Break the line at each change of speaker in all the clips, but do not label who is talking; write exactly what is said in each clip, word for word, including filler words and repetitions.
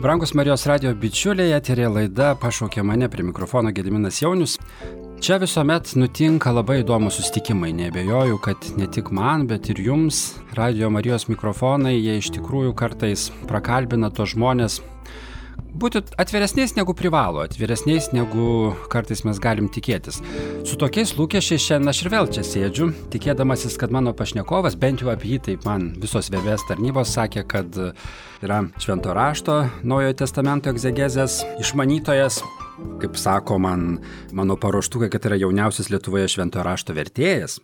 Brangus Marijos radijo bičiuliai, eterė laida Pašaukė mane, prie mikrofono Gediminas Jaunius. Čia visuomet nutinka labai įdomūs susitikimai. Neabejoju, kad ne tik man, bet ir jums, radijo Marijos mikrofonai, jie iš tikrųjų kartais prakalbina tos žmonės būti atviresniais negu privalo, atviresniais negu kartais mes galim tikėtis. Su tokiais lūkesčiais šiandien aš ir vėl čia sėdžiu, tikėdamasis, kad mano pašnekovas, bent jau apie jį taip man visos V V S tarnybos sakė, kad yra Švento rašto, Naujojo testamento egzegezės išmanytojas. Kaip sako man mano paruoštukai, kad yra jauniausias Lietuvoje Švento rašto vertėjas,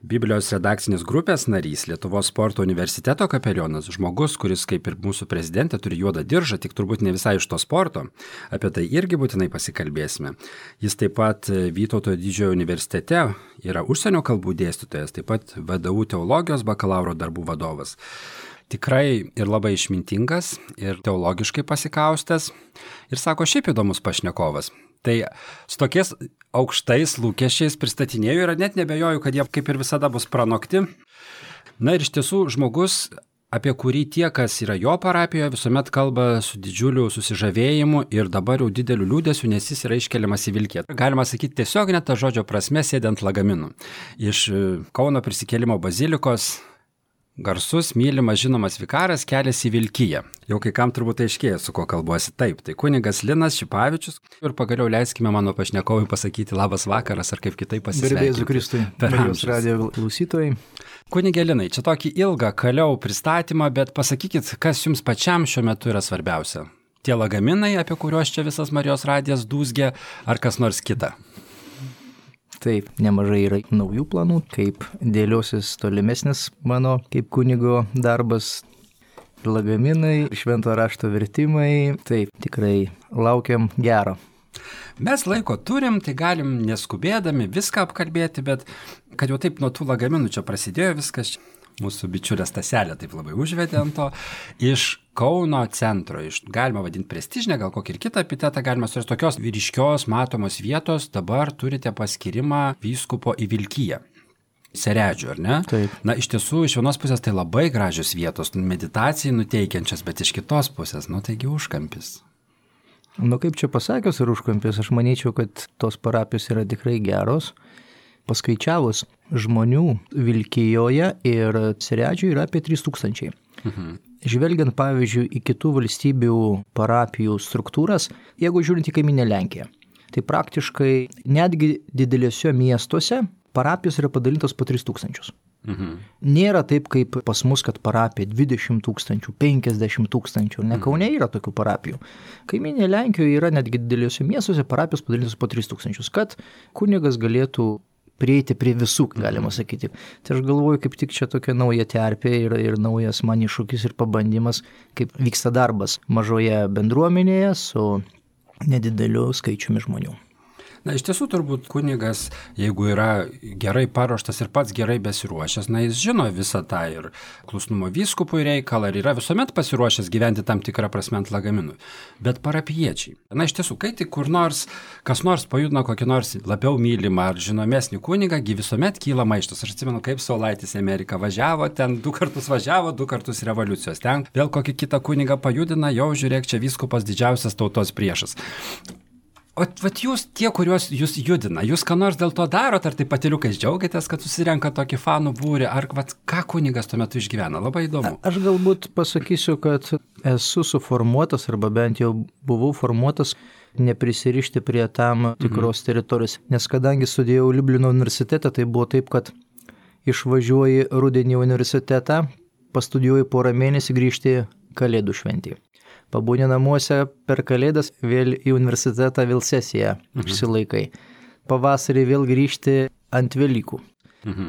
Biblijos redakcinės grupės narys, Lietuvos sporto universiteto kapelionas, žmogus, kuris kaip ir mūsų prezidentė turi juodą diržą, tik turbūt ne visai iš to sporto. Apie tai irgi būtinai pasikalbėsime. Jis taip pat Vytauto didžiojo universitete yra užsienio kalbų dėstytojas, taip pat V D U teologijos bakalauro darbų vadovas. Tikrai ir labai išmintingas, ir teologiškai pasikaustęs, ir sako, šiaip įdomus pašnekovas. Tai su tokiais aukštais lūkesčiais pristatinėjau ir net nebejoju, kad jie kaip ir visada bus pranokti. Na ir iš tiesų žmogus, apie kurį tie, kas yra jo parapijoje, visuomet kalba su didžiuliu susižavėjimu ir dabar jau dideliu liūdėsiu, nes jis yra iškeliamas į Vilkiją. Galima sakyti tiesiog net tą žodžio prasme sėdant lagaminų. Iš Kauno prisikėlimo bazilikos garsus, mylimas, žinomas vikaras keliasi į Vilkiją. Jau kai kam turbūt aiškėja, su kuo kalbuosi. Taip, tai kunigas Linas Šipavičius. Ir pagaliau leiskime mano pašnekovui pasakyti labas vakaras, ar kaip kitaip pasisveikinti.
Garbė Jėzui Kristui, Marijos radijo klausytojai.
Kunige Linai, čia tokį ilgą kaliau pristatymą, bet pasakykit, kas jums pačiam šiuo metu yra svarbiausia? Tie lagaminai, apie kuriuos čia visas Marijos radijas dūzgia, ar kas nors kita?
Taip, nemažai yra naujų planų, kaip dėliosis tolimesnis mano kaip kunigo darbas, lagaminai, Švento rašto vertimai. Taip, tikrai laukiam gero.
Mes laiko turim, tai galim neskubėdami viską apkalbėti, bet kad jau taip nuo tų lagaminų čia prasidėjo viskas, mūsų bičiulė Staselė taip labai užvedė ant to, iš Kauno centro, iš, galima vadinti prestižinę, gal kokį ir kitą epitetą galima surasti, tokios ryškios matomos vietos, dabar turite paskirimą vyskupo į Vilkiją. Seredžių, ar ne?
Taip.
Na, iš tiesų, iš vienos pusės tai labai gražios vietos, meditacijai nuteikiančios, bet iš kitos pusės, nu taigi užkampis.
Nu kaip čia pasakius ir užkampis, aš manyčiau, kad tos parapijos yra tikrai geros. Paskaičiavus žmonių Vilkijoje ir Seredžių yra apie trys tūkstančiai. Mhm. Žvelgiant, pavyzdžiui, į kitų valstybių parapijų struktūras, jeigu žiūrint į kaiminę Lenkiją, tai praktiškai netgi didelėse miestuose parapijos yra padalintos po tris tūkstančius. Mhm. Nėra taip, kaip pas mus, kad parapija dvidešimt tūkstančių, penkiasdešimt tūkstančių, ne Kaune yra tokių parapijų. Kaiminė Lenkijoje yra netgi didelėse miestuose parapijos padalintos po tris tūkstančius, kad kunigas galėtų prieiti prie visų, galima sakyti. Tai aš galvoju, kaip tik čia tokia nauja terpė ir, ir naujas man iššūkis ir pabandymas, kaip vyksta darbas mažoje bendruomenėje su nedideliu skaičiumi žmonių.
Na, iš tiesų turbūt kunigas, jeigu yra gerai paruoštas ir pats gerai besiruošęs, na, jis žino visą tą ir klusnumo vyskupui reikalą ir yra visuomet pasiruošęs gyventi tam tikrą prasme ant lagaminų. Bet parapijiečiai, na, iš tiesų, kai tik kur nors, kas nors pajudina kokį nors labiau mylimą ar žinomesnį kunigą, visuomet kyla maištas. Aš atsimenu, kaip Saulaitis į Ameriką važiavo, ten du kartus važiavo, du kartus revoliucijos. Ten vėl kokį kitą kunigą pajudina, jau žiūrėk, čia vyskupas didžiausias tautos priešas. O vat jūs, tie, kuriuos jūs judina, jūs ką nors dėl to darot, ar tai patiliukais džiaugiatės, kad susirenka tokį fanų būrį, ar vat, ką kunigas tuo metu išgyvena? Labai įdomu.
Aš galbūt pasakysiu, kad esu suformuotas, arba bent jau buvau formuotas, neprisirišti prie tam tikros mhm. teritorijos. Nes kadangi studijavau Liublino universitete, tai buvo taip, kad išvažiuoji rudenį į universitetą, pastudijuoji porą mėnesį, grįžti Kalėdų šventį. Pabūni namuose per Kalėdas, vėl į universitetą, vėl sesiją išsilaikai. Pavasarį vėl grįžti ant Velykų. Mhm.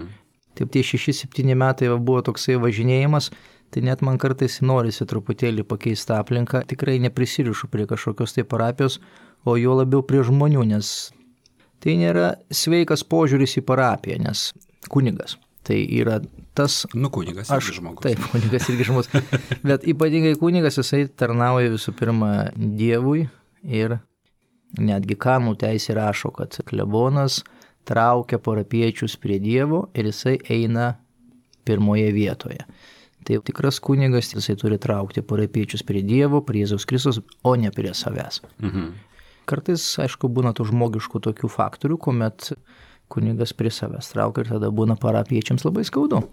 Taip tie šeši septyni metai buvo toksai važinėjimas, tai net man kartais norisi truputėlį pakeisti aplinką. Tikrai neprisirišu prie kažkokios tai parapijos, o jo labiau prie žmonių, nes tai nėra sveikas požiūris į parapiją, nes kunigas. Tai yra tas...
Nu, kunigas irgi žmogus.
Taip, kunigas irgi žmogus. Bet ypatingai kunigas, jisai tarnauja visų pirma Dievui ir netgi kanonų teisė rašo, kad klebonas traukia parapiečius prie Dievo ir jisai eina pirmoje vietoje. Tai tikras kunigas, jisai turi traukti parapiečius prie Dievo, prie Jėzaus Kristus, o ne prie savęs. Mhm. Kartais, aišku, būna tų žmogiškų tokių faktorių, kuomet kunigas prie savęs traukia ir tada būna parapiečiams labai skaudu.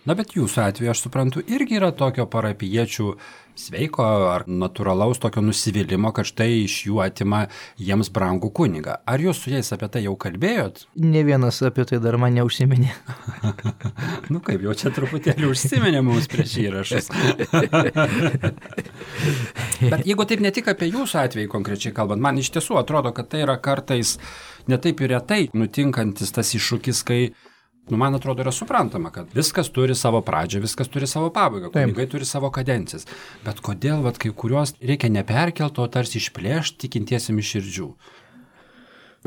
Na, bet jūsų atveju, aš suprantu, irgi yra tokio parapiečių sveiko ar natūralaus tokio nusivylimų, kad štai iš jų atima jiems brangų kunigą. Ar jūs su jais apie tai jau kalbėjot?
Ne vienas apie tai dar man neužsiminė.
Nu kaip, jau čia truputėlį užsiminė mums prieš įrašus. Bet jeigu taip ne tik apie jūsų atvejį konkrečiai kalbant, man iš tiesų atrodo, kad tai yra kartais netaip ir retai nutinkantis tas iššūkis, kai Nu, man atrodo, yra suprantama, kad viskas turi savo pradžią, viskas turi savo pabaigą, kunigai turi savo kadencijas. Bet kodėl, vat, kai kuriuos reikia neperkelto, tarsi išplėšti tikintiesiem iš širdžių?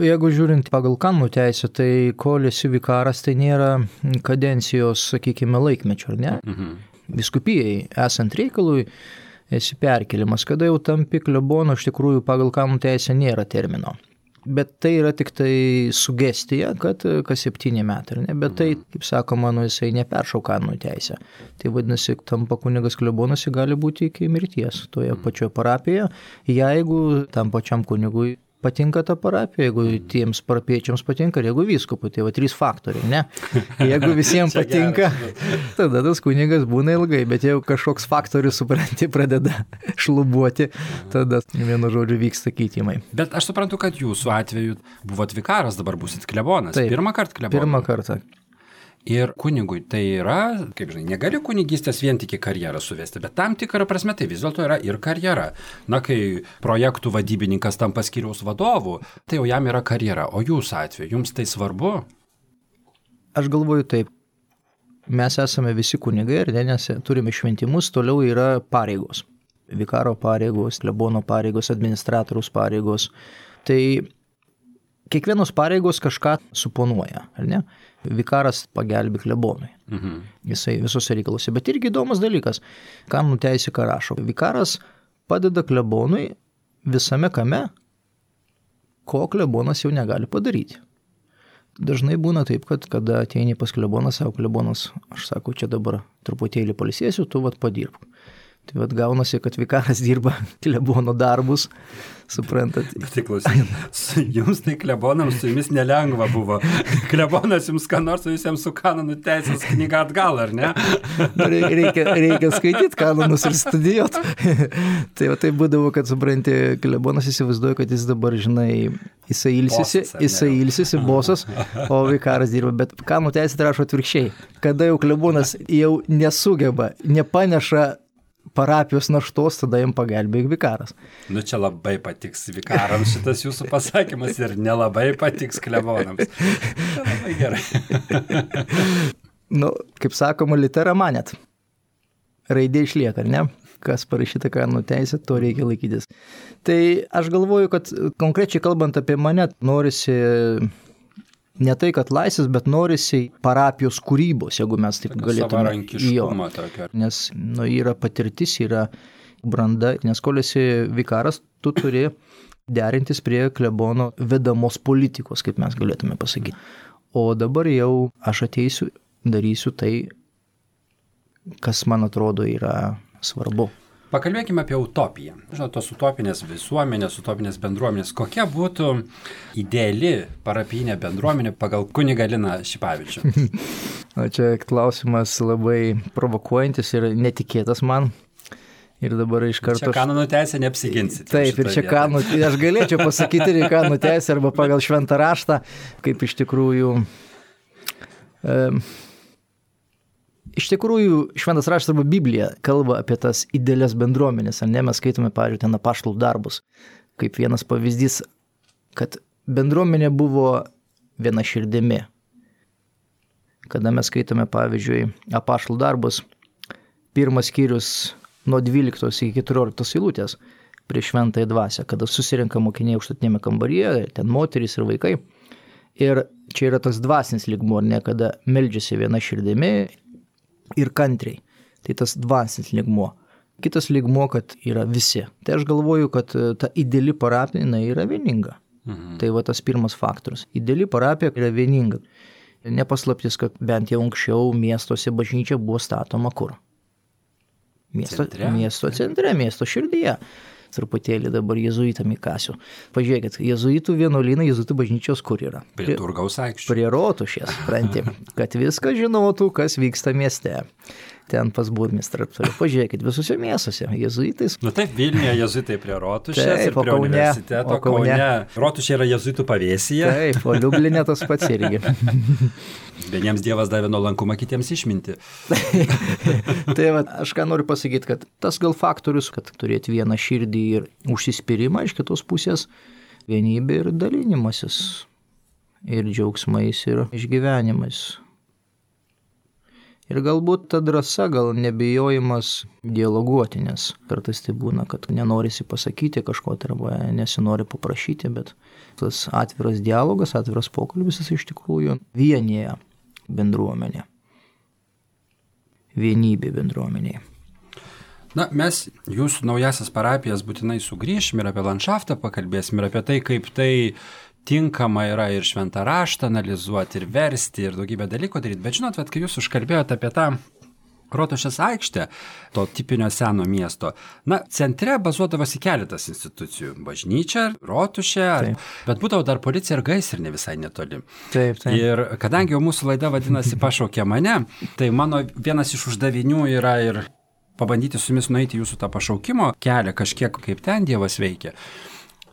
Jeigu žiūrint pagal kanonų teisę, tai kol esi vikaras, tai nėra kadencijos, sakykime, laikmečio, ar ne? Mhm. Vyskupijai, esant reikalui, esi perkelimas. Kada jau tampi klebonu, iš tikrųjų pagal kanonų teisę nėra termino. Bet tai yra tik tai sugestija, kad kas septyni metai, ne? Bet tai, kaip sakoma, nu, jisai neperšauka kanonų teisę. Tai vadinasi, tampa kunigas klebonas, gali būti iki mirties toje pačioje parapijoje, jeigu tam pačiam kunigui patinka ta parapija, jeigu tiems parapiečiams patinka, ir jeigu vyskupui, tai va trys faktoriai, ne? Jeigu visiems patinka, tada tas kunigas būna ilgai, bet jeigu kažkoks faktorius, supranti, pradeda šlubuoti, tada vienu žodžiu vyksta keitimai.
Bet aš suprantu, kad jūsų atveju buvot vikaras, dabar busit klebonas.
Taip,
pirmą kartą klebonas.
Pirmą kartą.
Ir kunigui tai yra, kaip žinai, negali kunigystės vien tik į karjerą suvesti, bet tam tikrą prasme tai vis dėlto yra ir karjera. Na, kai projektų vadybininkas tampa skyriaus vadovu, tai jau jam yra karjera. O jūsų atveju, jums tai svarbu?
Aš galvoju taip. Mes esame visi kunigai ir nes turime šventimus, toliau yra pareigos. Vikaro pareigos, klebono pareigos, administratoriaus pareigos. Tai kiekvienos pareigos kažką suponuoja, ar ne? Vikaras pagelbi klebonui. Mhm. Jisai visose reikaluose. Bet irgi įdomus dalykas. Kanonų teisė ką rašo. Vikaras padeda klebonui visame kame, ko klebonas jau negali padaryti. Dažnai būna taip, kad kada ateini pas kleboną, savo klebonas, aš sakau, čia dabar truputėlį pailsėsiu, tu vat padirbk. Tai vat gaunasi, kad vikaras dirba klebono darbus, suprantat.
Bet tai klausykit, jums tai klebonams su jumis nelengva buvo. Klebonas jums ką nors, jūs jiems su kanonų teisės knyga atgal, ar ne?
Reikia, reikia skaityti kanonus ir studijuoti. Tai va tai būdavo, kad supranti, klebonas įsivaizduoja, kad jis dabar, žinai, jisai ilsisi, jisai ilsisi bosas, o vikaras dirba. Bet kanonų teisė rašo atvirkščiai. Kada jau klebonas jau nesugeba, nepaneša parapijos naštos, tada jam pagelbėjo vikaras.
Nu čia labai patiks vikarams šitas jūsų pasakymas ir nelabai patiks klebonams. Tai labai gerai.
Nu, kaip sakoma, litera manet. Raidė išlieka, ne? Kas parašyta kanonų teisė, to reikia laikytis. Tai aš galvoju, kad konkrečiai kalbant apie mane, norisi ne tai, kad laisvės, bet norisi parapijos kūrybos, jeigu mes taip galėtume.
Savarankiškumą tokio.
Nes nu, yra patirtis, yra branda, nes kol esi vikaras, tu turi derintis prie klebono vedamos politikos, kaip mes galėtume pasakyti. O dabar jau aš ateisiu, darysiu tai, kas man atrodo yra svarbu.
Pakalbėkime apie utopiją. Žinot, tos utopinės visuomenės, utopinės bendruomenės. Kokia būtų ideali parapijinė bendruomenė pagal kunigą Liną Šipavičių?
O čia klausimas labai provokuojantis ir netikėtas man. Ir dabar iš karto...
Čia kanonų teisė neapsiginsit.
Taip, ir čia kanonų... Aš galėčiau pasakyti ir kanonų teisę arba pagal šventą raštą, kaip iš tikrųjų... Um, Iš tikrųjų, šventas raštas arba Biblija kalba apie tas idealias bendruomenės, ar ne? Mes skaitome, pavyzdžiui, ten apaštalų darbus, kaip vienas pavyzdys, kad bendruomenė buvo viena širdimi. Kada mes skaitome, pavyzdžiui, apaštalų darbus, pirmas skyrius nuo dvyliktos iki keturioliktos eilutės prieš šventąją dvasią, kada susirenka mokiniai aukštutinėme kambaryje, ten moterys ir vaikai. Ir čia yra tas dvasinis lygmuo, ne, kada meldžiasi viena širdimi ir kantriai. Tai tas dvasinis lygmuo. Kitas lygmuo, kad yra visi. Tai aš galvoju, kad ta ideali parapija yra vieninga. Mhm. Tai va tas pirmas faktorius. Ideali parapija yra vieninga. Nepaslaptis, kad bent jau anksčiau miestuose bažnyčia buvo statoma kur? Miesto
centre,
miesto, centre, miesto širdyje. Truputėlį dabar jezuitam įkasiu. Pažiūrėkit, jezuitų vienuolynai, jezuitų bažnyčios kur yra?
Prie Turgaus aikščių.
Prie Rotušės, supranti, kad viską žinotų, kas vyksta mieste. Ten pas burmistrą. Pažiūrėkit, visuose miestuose jezuitais.
Na taip, Vilniuje jezuitai prie Rotušės
Taip,
ir prie
Kaune,
universiteto.
Kaune.
Kaune. Rotušė yra jezuitų pavėsyje.
Taip, o Liublinė tas pats irgi.
Vieniems Dievas davė nuolankumą, kitiems išminti.
Tai va, aš ką noriu pasakyti, kad tas gal faktorius, kad turėti vieną širdį ir užsispyrimą iš kitos pusės, vienybė ir dalinimasis, ir džiaugsmais, ir išgyvenimais. Ir galbūt ta drąsa, gal nebijojimas dialoguoti, nes kartais tai būna, kad nenorisi pasakyti kažko, arba nesinori paprašyti, bet tas atviras dialogas, atviras pokalbis jis iš tikrųjų vienyje bendruomenė. Vienybė bendruomenėje.
Na, mes jūsų naujasias parapijas būtinai sugrįšim ir apie landšaftą pakalbėsim ir apie tai, kaip tai tinkama yra ir šventą raštą analizuoti, ir versti, ir daugybę dalykų daryti. Bet žinot, vat, kai jūs užkalbėjote apie tą Rotušės aikštę, to tipinio seno miesto, na, centre bazuodavosi keletas institucijų. Bažnyčia, Rotušė, bet būdavo dar policija ir gaisrinė visai netoli.
Taip, taip.
Ir kadangi jau mūsų laida vadinasi Pašaukė mane, tai mano vienas iš uždavinių yra ir pabandyti su jumis nueiti jūsų tą pašaukimo kelią, kažkiek kaip ten Dievas veikia.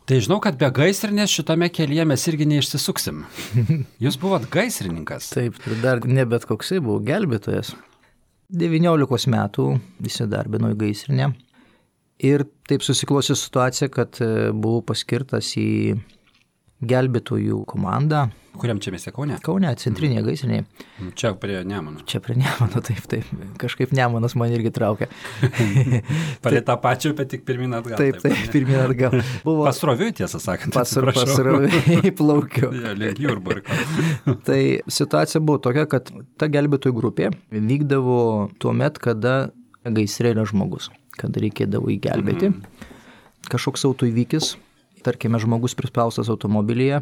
Tai žinau, kad be gaisrinės šitame kelyje mes irgi neišsisuksim. Jūs buvot gaisrininkas.
Taip, ir dar ne bet koksai buvau gelbėtojas. devyniolikos metų įsidarbinau į gaisrinę. Ir taip susiklosi situacija, kad buvau paskirtas į gelbėtojų komandą.
Kuriam čia mieste, Kaune?
Kaune, centrinėje gaisrinėje.
Čia prie Nemuno.
Čia prie Nemuno, taip, taip. Kažkaip Nemunas man irgi traukia.
Palei tą pačią, bet tik pirmin atgal.
Taip, taip, taip pirmin atgal.
Buvo... Pasroviui, tiesą sakant.
Pasroviui plaukiu.
Ja, link Jurbarko.
Tai situacija buvo tokia, kad ta gelbėtojų grupė vykdavo tuo met, kada gaisre yra žmogus, kada reikėdavo įgelbėti. Mm. Kažkoks autoįvykis, tarkime, žmogus prispaustas automobilyje,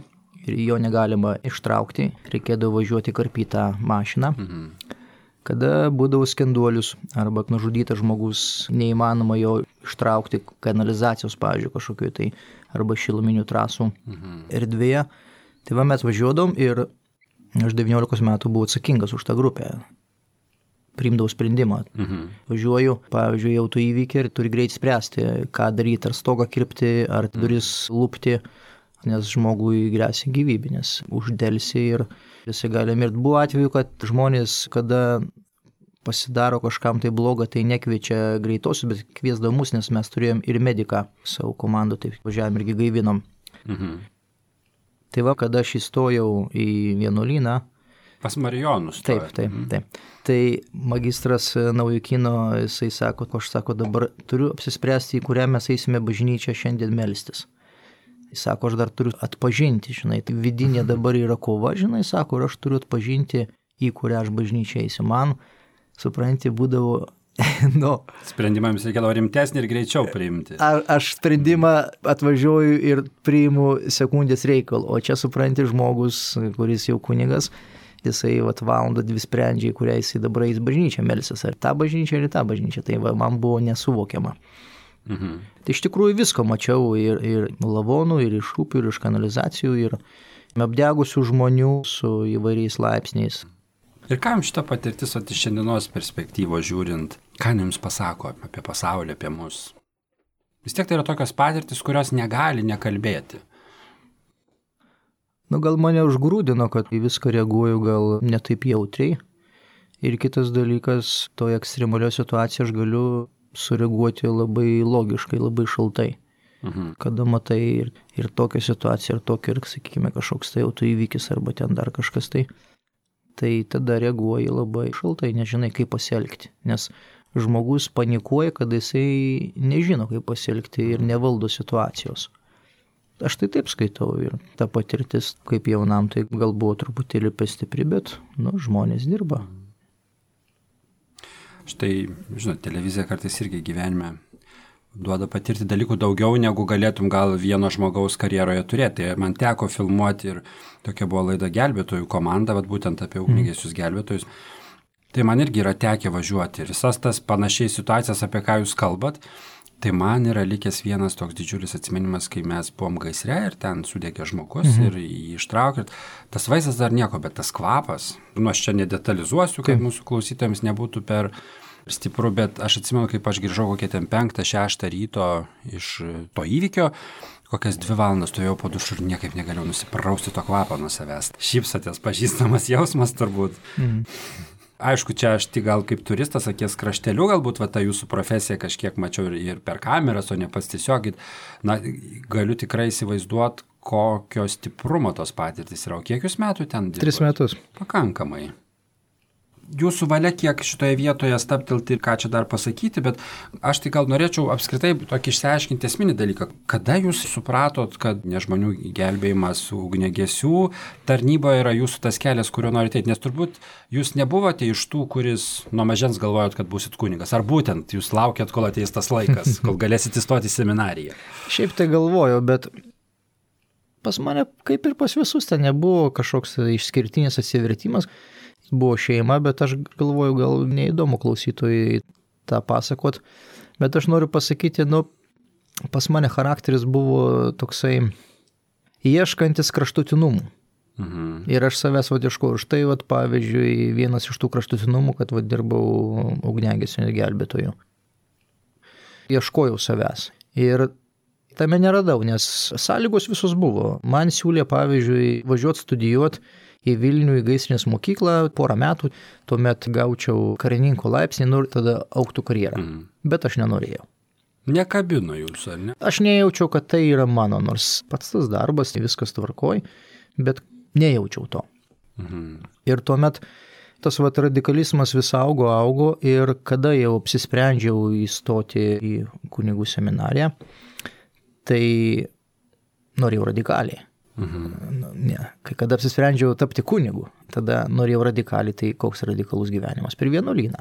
ir jo negalima ištraukti, reikėdavo važiuoti karpytą mašiną. Mhm. Kada būdavo skenduolius arba nužudytas žmogus, neįmanoma jo ištraukti kanalizacijos, pavyzdžiui, kažkokiu tai, arba šiluminių trasų mhm. erdvėje. Tai va mes važiuodom ir aš devyniolikos metų buvau atsakingas už tą grupę. Priimdavau sprendimą. Mhm. Važiuoju, pavyzdžiui, autoįvykį ir turi greit spręsti, ką daryti, ar stogą kirpti, ar duris lupti, nes žmogui gresia gyvybė, nes uždelsi ir jisai gali mirti. Buvo atveju, kad žmonės, kada pasidaro kažkam tai bloga, tai nekviečia greitosius, bet kviesdavo mus, nes mes turėjom ir mediką savo komandą, tai važiavom irgi gaivinom. Mhm. Tai va, kada aš įstojau į vienuolyną,
pas Marijonus.
Taip, taip, taip. Tai magistras Naujokino, jisai sako, aš sako, dabar turiu apsispręsti, į kurią mes eisime bažnyčią šiandien melstis. Jis sako, aš dar turiu atpažinti, žinai, tai vidinė dabar yra kova, žinai, sako, ir aš turiu atpažinti, į kurią aš bažnyčią eisiu. Man, supranti, būdavo, nu...
Sprendimą jums reikėdavo rimtesnį ir greičiau priimti.
A, aš sprendimą atvažiuoju ir priimu sekundės reikalą, o čia, supranti, žmogus, kuris jau kunigas, jisai vat, valandą dvi sprendžia, į kurią jisai dabar eis bažnyčią melsis, ar tą bažnyčią, ar tą bažnyčią, tai va, man buvo nesuvokiama. Mhm. Tai iš tikrųjų visko mačiau ir, ir lavonų, ir iš upių, ir iš kanalizacijų, ir apdegusių žmonių su įvairiais laipsniais.
Ir ką jums šita patirtis, o iš šiandienos perspektyvos žiūrint, ką jums pasako apie pasaulį, apie mus? Vis tiek tai yra tokios patirtis, kurios negali nekalbėti.
Nu, gal mane užgrūdino, kad į viską reaguoju gal netaip jautriai. Ir kitas dalykas, toje ekstremalioje situacijoje aš galiu sureaguoti labai logiškai, labai šaltai. Mhm. Kada matai ir, ir tokią situaciją, ir tokią, ir, sakykime, kažkoks tai autoįvykis, arba ten dar kažkas tai, tai tada reaguoji labai šaltai, nežinai, kaip pasielgti. Nes žmogus panikuoja, kad jisai nežino, kaip pasielgti ir nevaldo situacijos. Aš tai taip skaitau ir ta patirtis, kaip jaunam, tai gal buvo truputėlį per stipri, bet, nu, žmonės dirba.
Štai, žinot, televizija kartais irgi gyvenime duoda patirti dalykų daugiau, negu galėtum gal vieno žmogaus karjeroje turėti. Man teko filmuoti ir tokia buvo laida Gelbėtojų komanda, vat būtent apie ugniagesius gelbėtojus. Tai man irgi yra tekę važiuoti ir visas tas panašiai situacijas, apie ką jūs kalbat. Tai man yra likęs vienas toks didžiulis atsiminimas, kai mes buvom gaisre ir ten sudegė žmogus mhm. ir jį ištraukė. Tas vaizdas dar nieko, bet tas kvapas, nu aš čia nedetalizuosiu, kad mūsų klausytojams nebūtų per stipru, bet aš atsimenu, kaip aš grįžau kokią ten penktą, šeštą ryto iš to įvykio, kokias dvi valandas stovėjau po dušu ir niekaip negalėjau nusiprausti to kvapą nuo savęs. Šypsotės, pažįstamas jausmas turbūt. Mhm. Aišku, čia aš tik gal kaip turistas akies krašteliu, galbūt va ta jūsų profesija kažkiek mačiau ir, ir per kameras, o ne pats tiesiog, na, galiu tikrai įsivaizduoti, kokio stiprumo tos patirtis yra. O kiek jūs metų ten dirbate?
Tris metus.
Pakankamai. Jūsų valia kiek šitoje vietoje staptelti ir ką čia dar pasakyti, bet aš tai gal norėčiau apskritai tokį išsiaiškinti esminį dalyką. Kada jūs supratot, kad ne žmonių gelbėjimas ugniagesių tarnyboje yra jūsų tas kelias, kuriuo norite eiti? Nes turbūt jūs nebuvote iš tų, kuris nuo mažens galvojot, kad būsit kunigas. Ar būtent jūs laukėt, kol ateis tas laikas, kol galėsit įstoti į seminariją?
Šiaip tai galvojau, bet pas mane kaip ir pas visus ten nebuvo kažkoks išskirtinis atsivertimas. Buvo šeima, bet aš galvoju, gal neįdomu klausytojai tą pasakot, bet aš noriu pasakyti, nu, pas mane charakteris buvo toksai ieškantis kraštutinumų. Mhm. Ir aš savęs vad ieškojau. Štai, vad, pavyzdžiui, vienas iš tų kraštutinumų, kad vad dirbau ugniagesių gelbėtojų. Ieškojau savęs. Ir tame neradau, nes sąlygos visos buvo. Man siūlė, pavyzdžiui, važiuoti studijuoti į Vilnių, į gaisrinės mokyklą porą metų, tuomet gaučiau karininko laipsnį, nu ir tada augtų karjerą. Mm. Bet aš nenorėjau.
Nekabino jūs, ar ne?
Aš nejaučiau, kad tai yra mano, nors pats tas darbas, viskas tvarkoj, bet nejaučiau to. Mm. Ir tuomet tas vat radikalizmas vis augo, augo ir kada jau apsisprendžiau įstoti į kunigų seminariją, tai norėjau radikaliai. Mhm. Ne, kai kada apsisprendžiau tapti kunigu, tada norėjau radikaliai, tai koks radikalus gyvenimas per vienuolyną.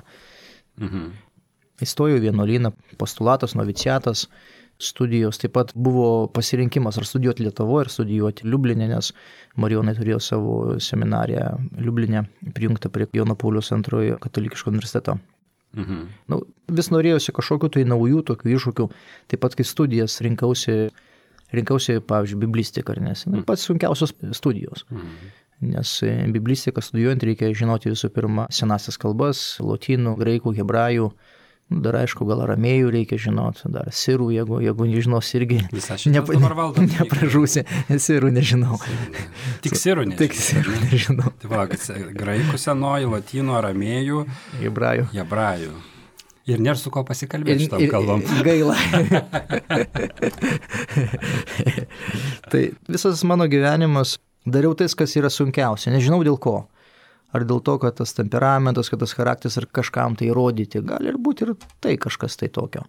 Mhm. Įstojau į vienuolyną, postulatas, noviciatas, studijos, taip pat buvo pasirinkimas ar studijuoti Lietuvoje, ar studijuoti Liubline, nes marijonai turėjo savo seminariją Liubline, prijungtą prie Jono Pauliaus antrojo katalikiško universiteto. Mhm. Nu, vis norėjusi kažkokių tai naujų tokių iššūkių, taip pat kai studijas rinkausi Rinkausi, pavyzdžiui, biblistiką, nes mm. pats sunkiausios studijos. Mm. Nes biblistiką studijuojant reikia žinoti visų pirma senasias kalbas, lotynų, graikų, hebrajų, dar aišku, gal aramėjų reikia žinoti, dar sirų, jeigu, jeigu nežinos irgi
Nep
nepražūsi, sirų nežinau.
Tik sirų nežinau.
Tik sirų nežinau.
Tai va, graikų senoji, lotynų, aramėjų,
hebrajų.
hebrajų. Ir nėra su ko pasikalbėti šitam kalbam.
Gaila. Tai visas mano gyvenimas dariau tai, kas yra sunkiausia. Nežinau dėl ko. Ar dėl to, kad tas temperamentas, kad tas charakteris ar kažkam tai įrodyti. Gali ir būti ir tai kažkas tai tokio.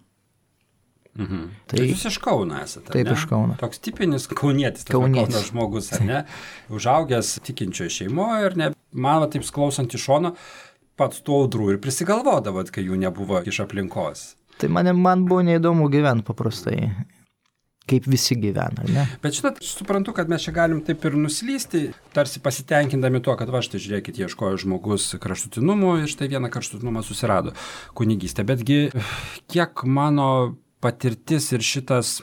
Mhm. Tai jūs iš Kauno esate,
taip,
ne?
Iš Kauno.
Toks tipinis kaunietis, tas Kauno žmogus, ar ne? Užaugęs tikinčioje šeimoje ir ne, man va taip klausant iš šono, pats tų audrų ir prisigalvodavot, kai jų nebuvo iš aplinkos.
Tai man, man buvo neįdomu gyventi paprastai, kaip visi gyvena, ne?
Bet žinot, suprantu, kad mes čia galim taip ir nuslysti, tarsi pasitenkindami tuo, kad va štai žiūrėkit, ieškojo žmogus kraštutinumų ir štai vieną kraštutinumą susirado kunigystę. Betgi kiek mano patirtis ir šitas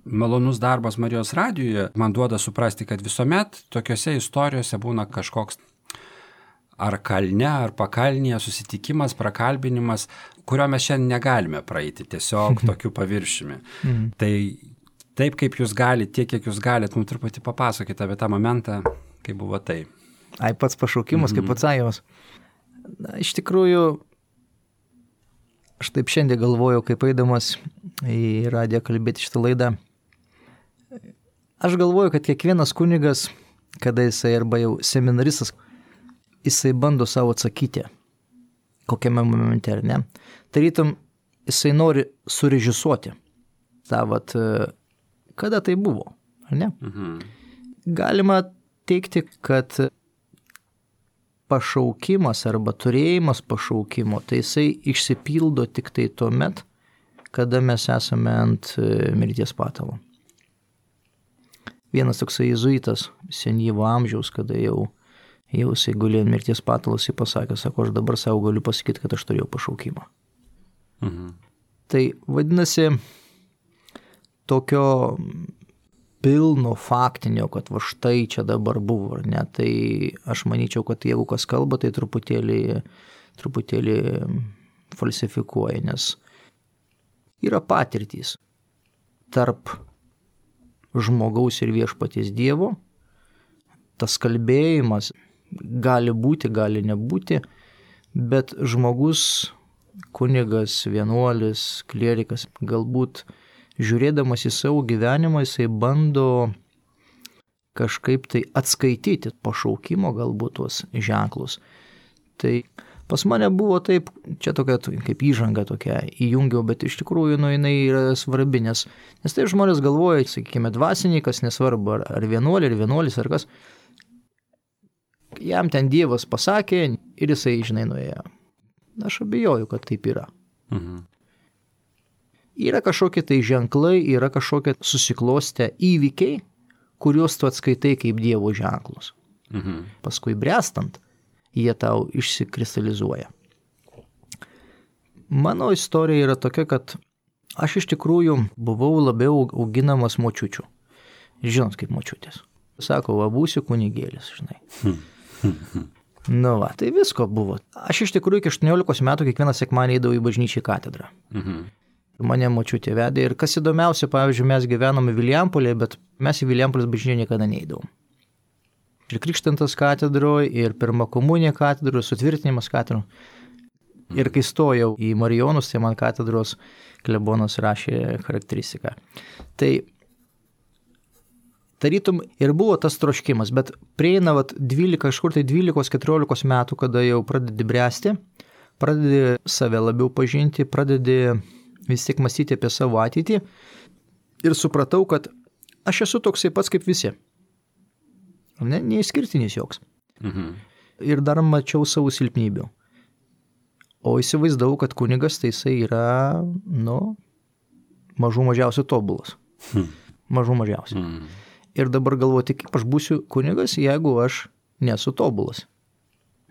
malonus darbas Marijos radijoje man duoda suprasti, kad visuomet tokiose istorijose būna kažkoks ar kalne, ar pakalnėje susitikimas, prakalbinimas, kurio mes šiandien negalime praeiti, tiesiog tokiu paviršiumi. Mm. Tai taip, kaip jūs galite, tiek, kiek jūs galite, mums truputį papasakyti apie tą momentą, kai buvo tai.
Ai, pats pašaukimas, mm-hmm. kaip atsakymas. Na, iš tikrųjų, aš taip šiandien galvojau, kaip eidamas į radiją kalbėti šitą laidą. Aš galvoju, kad kiekvienas kunigas, kada jisai arba jau seminaristas, jisai bando savo atsakyti, kokiame momente, ar ne. Tarytum, jisai nori surežisuoti tą, vat, kada tai buvo, ar ne. Mhm. Galima teikti, kad pašaukimas arba turėjimas pašaukimo, tai jisai išsipildo tik tai tuomet, kada mes esame ant mirties patalo. Vienas toksai jėzuitas senyvo amžiaus, kada jau jau jisai gulėjo ant mirties patalos, jis pasakė, sako, aš dabar savo galiu pasakyti, kad aš turėjau pašaukimą.
Mhm.
Tai vadinasi, tokio pilno faktinio, kad va štai čia dabar buvo, ar ne, tai aš manyčiau, kad jeigu kas kalba, tai truputėlį, truputėlį falsifikuoja, nes yra patirtys tarp žmogaus ir viešpaties Dievo, tas kalbėjimas gali būti, gali nebūti, bet žmogus, kunigas, vienuolis, klierikas, galbūt žiūrėdamas į savo gyvenimą, jisai bando kažkaip tai atskaityti pašaukimo galbūt tuos ženklus. Tai pas mane buvo taip, čia tokia kaip įžanga tokia įjungiau, bet iš tikrųjų nu, jinai yra svarbi, nes, nes tai žmonės galvoja, sakykime, dvasininkas, nesvarbu, ar, ar vienuolė, ar vienuolis, ar kas, jam ten Dievas pasakė ir jisai, žinai, nuėjo. Aš abejoju, kad taip yra.
Mhm.
Yra kažkokie tai ženklai, yra kažkokie susiklostę įvykiai, kuriuos tu atskaitai kaip Dievo ženklus.
Mhm.
Paskui brestant, jie tau išsikristalizuoja. Mano istorija yra tokia, kad aš iš tikrųjų buvau labiau auginamas močiučių. Žinot, kaip močiutės. Sako, va, būsiu kunigėlis, žinai. Nu va, tai visko buvo. Aš iš tikrųjų iki aštuoniolikos metų kiekvieną sekmadienį eidavau į bažnyčią katedrą.
Mhm.
Mane močiutė vedė ir kas įdomiausia, pavyzdžiui, mes gyvenome Vilijampolėje, bet mes į Vilijampolės bažnyčią niekada neeidavom. Ir krikštintas katedroje, ir pirma komunija katedroje, sutvirtinimas katedroje. Ir kai stojau į Marijonus, tai man katedros klebonas rašė charakteristiką. Tai tarytum ir buvo tas troškimas, bet prieina vat, dvylika, kažkur tai dvylikos keturiolikos metų, kada jau pradedi bręsti, pradedi save labiau pažinti, pradedi vis tiek mąstyti apie savo ateitį ir supratau, kad aš esu toksai pats kaip visi. Ne, neišskirtinis joks.
Mhm.
Ir dar mačiau savo silpnybių. O įsivaizdavau, kad kunigas tai jisai yra, nu, mažų mažiausiai tobulas.
Mhm.
Mažų mažiausiai.
Mhm.
Ir dabar galvoti, kaip aš būsiu kunigas, jeigu aš nesu tobulas.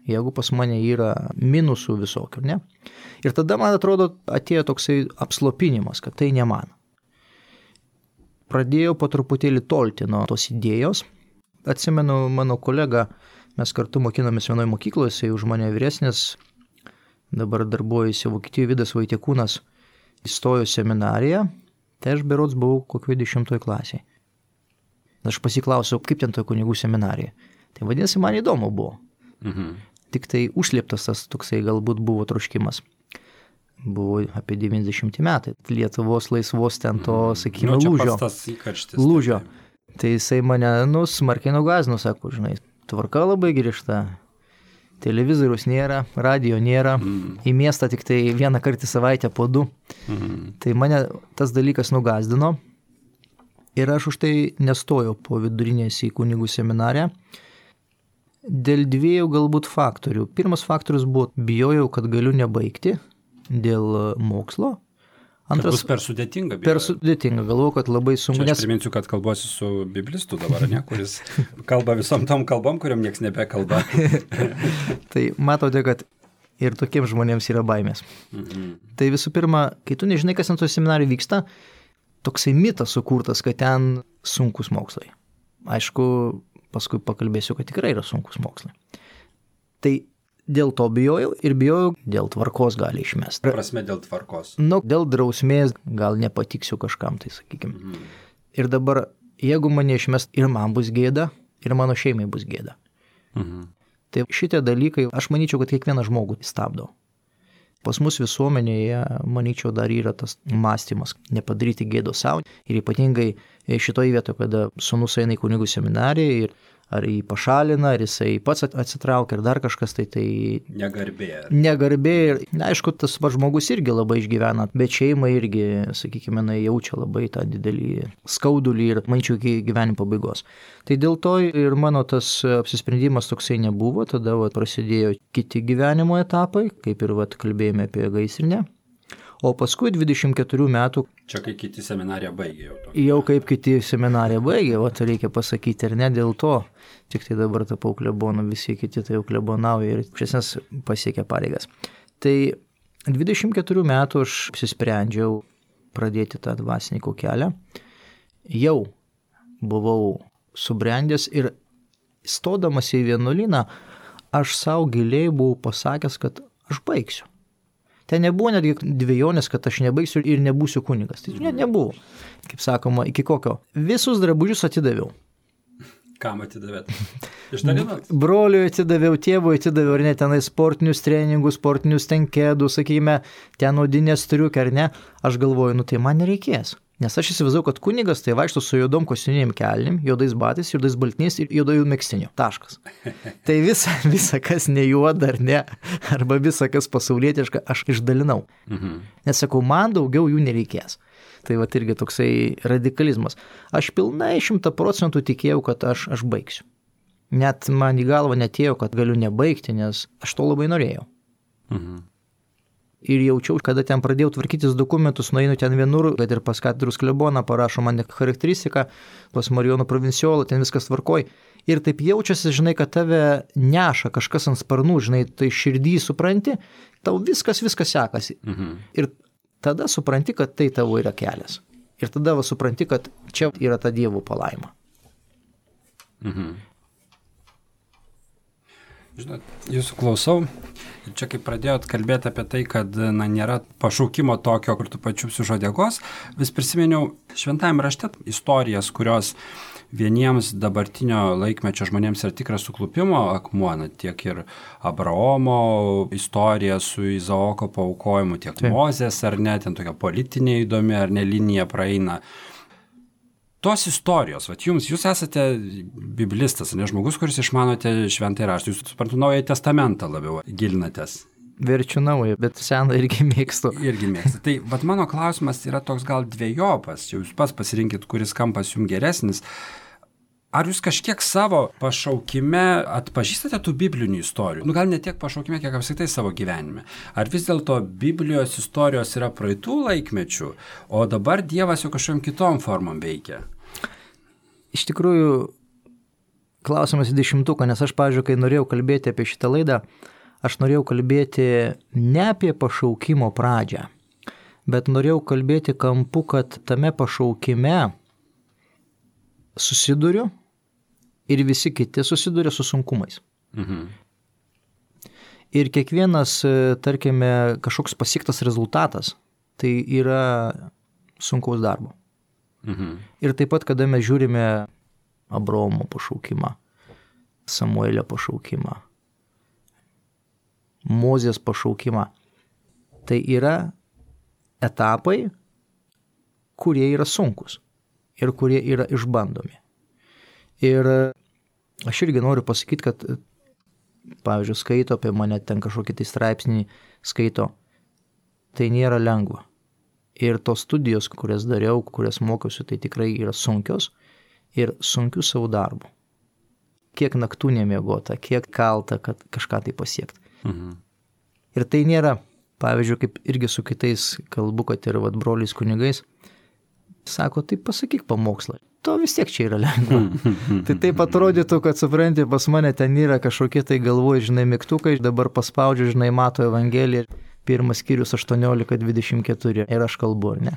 Jeigu pas mane yra minusų visokių, ne? Ir tada, man atrodo, atėjo toksai apslopinimas, kad tai ne man. Pradėjau po truputėlį tolti nuo tos idėjos. Atsimenu, mano kolega, mes kartu mokinomės vienoje mokykloje, jisai už mane vyresnis, dabar darbuojasi Vokietijoje, Vidas Vaitiekūnas, įstojo seminariją, tai aš berods buvau kokioje dešimtoje klasėje. Aš pasiklausiau, kaip ten toje kunigų seminarija. Tai vadinasi, man įdomu buvo.
Mhm.
Tik tai užslėptas tas toksai galbūt buvo troškimas. Buvo apie devyniasdešimti metai. Lietuvos laisvos ten to, sakykime,
nu,
lūžio.
Įkarštis,
lūžio. Tai jisai mane, nu, smarkiai nugazino, sako, žinai, tvarka labai griežta. Televizorius nėra, radio nėra, mm. į miestą tik tai vieną kartą į savaitę po du. Mm. Tai mane tas dalykas nugazdino ir aš už tai nestojau po vidurinės į kunigų seminariją. Dėl dviejų galbūt faktorių. Pirmas faktorius buvo, bijojau, kad galiu nebaigti dėl mokslo. Antras,
bus per sudėtinga. Bijojau.
Per sudėtinga, galvoju, kad labai sunku.
Čia aš priminsiu, kad kalbuosi su biblistu dabar, ne, kuris kalba visom tom kalbom, kuriam nieks nebekalba.
Tai matote, kad ir tokiems žmonėms yra baimės. Mhm. Tai visų pirma, kai tu nežinai, kas ant to seminarijų vyksta, toksai mitas sukurtas, kad ten sunkus mokslai. Aišku, paskui pakalbėsiu, kad tikrai yra sunkus mokslai. Tai dėl to bijojau ir bijojau, dėl tvarkos gali išmesti.
Prasme dėl tvarkos.
Nu, dėl drausmės gal nepatiksiu kažkam, tai sakykime. Mhm. Ir dabar, jeigu mane išmest, ir man bus gėda, ir mano šeimai bus gėda. Mhm. Tai šitie dalykai, aš manyčiau, kad kiekvieną žmogų stabdo. Pas mus visuomenėje, manyčiau, dar yra tas mąstymas, nepadaryti gėdo savo. Ir ypatingai šitoje vietoje, kada sūnus eina į kunigų seminariją ir ar jį pašalina, ar jisai pats atsitraukia, ar dar kažkas, tai tai...
Negarbė.
Negarbė ir, na, aišku, tas pats žmogus irgi labai išgyvena, bet šeima irgi, sakykime, jaučia labai tą didelį skaudulį ir, manyčiau, iki gyvenimo pabaigos. Tai dėl to ir mano tas apsisprendimas toksai nebuvo, tada va, prasidėjo kiti gyvenimo etapai, kaip ir va, kalbėjome apie gaisrinę. O paskui dvidešimt keturių metų...
Čia kai kiti seminariją baigė jau. To.
Jau kaip kiti seminariją baigė, o tai reikia pasakyti ir ne dėl to. Tik tai dabar tapau klebonu, visi kiti tai jau klebonauja ir iš esmės pasiekė pareigas. Tai dvidešimt keturių metų aš apsisprendžiau pradėti tą dvasininko kelią. Jau buvau subrendęs ir stodamas į vienuolyną, aš savo giliai buvau pasakęs, kad aš baigsiu. Ten nebuvo netgi dvejonės, kad aš nebaigsiu ir nebūsiu kunigas. Tai net nebuvo. Kaip sakoma, iki kokio. Visus drabužius atidaviau.
Kam atidavėt? Išdalinat?
Broliui atidaviau, tėvui atidaviau, ar ne, tenai sportinius treningus, sportinius tenkėdus, sakykime, ten odinės striukė, ar ne. Aš galvoju, nu tai man nereikės. Nes aš įsivaizdavau, kad kunigas tai vaikšto su juodom kostiuminiam kelnim, juodais batais, juodais baltiniais ir juodojų megztiniu. Taškas. Tai visa, visa, kas ne juoda ar ne, arba visa, kas pasaulietiška, aš išdalinau. Mhm. Nes sakau, man daugiau jų nereikės. Tai va irgi toksai radikalizmas. Aš pilnai šimta procentų tikėjau, kad aš, aš baigsiu. Net man į galvą netėjo, kad galiu nebaigti, nes aš to labai norėjau. Mhm. Ir jaučiau, kada ten pradėjau tvarkytis dokumentus, nueinu ten vienur, kad ir pas katedros kleboną parašo man charakteristiką, pas Marijono provinciolą, ten viskas tvarkoj. Ir taip jaučiasi, žinai, kad tave neša kažkas ant sparnų, žinai, tai širdį supranti, tau viskas, viskas sekasi. Mhm. Ir tada supranti, kad tai tavo yra kelias. Ir tada va supranti, kad čia yra ta Dievo palaima.
Mhm. Žinot, jūsų klausau, čia kaip pradėjot kalbėti apie tai, kad na, nėra pašaukimo tokio, kur tu pačiupsi už uodegos, vis prisiminiau šventajame rašte istorijas, kurios vieniems dabartinio laikmečio žmonėms yra tikras suklupimo akmuo, na, tiek ir Abraomo istorija su Izaoko paaukojimu, tiek Taip. Mozės ar ne, ten tokia politinė įdomi ar ne linija praeina. Tos istorijos, vat jums, jūs esate biblistas, ne žmogus, kuris išmanote šventąjį raštą, jūs suprantu naują testamentą labiau gilinatės.
Verčiu naują, bet seną irgi mėgstu.
Irgi mėgstu. Tai vat mano klausimas yra toks gal dvejopas, jūs pas pasirinkit, kuris kampas jums geresnis. Ar jūs kažkiek savo pašaukime atpažįstate tų biblinių istorijų? Nu, gal ne tiek pašaukime, kiek apskritai savo gyvenime. Ar vis dėlto Biblijos istorijos yra praeitų laikmečių, o dabar Dievas jau kažkokiam kitom formom veikia?
Iš tikrųjų, klausimas į dešimtuką, nes aš, pavyzdžiui, kai norėjau kalbėti apie šitą laidą, aš norėjau kalbėti ne apie pašaukimo pradžią, bet norėjau kalbėti kampu, kad tame pašaukime susiduriu ir visi kiti susiduria su sunkumais. Mhm. Ir kiekvienas, tarkime, kažkoks pasiektas rezultatas, tai yra sunkaus darbo. Mhm. Ir taip pat, kada mes žiūrime Abraomo pašaukimą, Samuelio pašaukimą, Mozės pašaukimą, tai yra etapai, kurie yra sunkus ir kurie yra išbandomi. Ir aš irgi noriu pasakyti, kad, pavyzdžiui, skaito apie mane, ten kažkokį tai straipsnį skaito, tai nėra lengva. Ir tos studijos, kurias dariau, kurias mokiausi, tai tikrai yra sunkios ir sunkių savo darbų. Kiek naktų nemiegota, kiek kalta, kad kažką tai pasiekti. Mhm. Ir tai nėra, pavyzdžiui, kaip irgi su kitais kalbu, kad ir vat, broliais kunigais, sako, tai pasakyk pamokslą. To vis tiek čia yra lengva. Tai taip atrodytų, kad supranti, pas mane ten yra kažkokie tai galvoj, žinai, mygtukai, dabar paspaudžiu, žinai, Mato Evangeliją, pirmas skyrius aštuoniolika dvidešimt keturi ir aš kalbu, ar ne?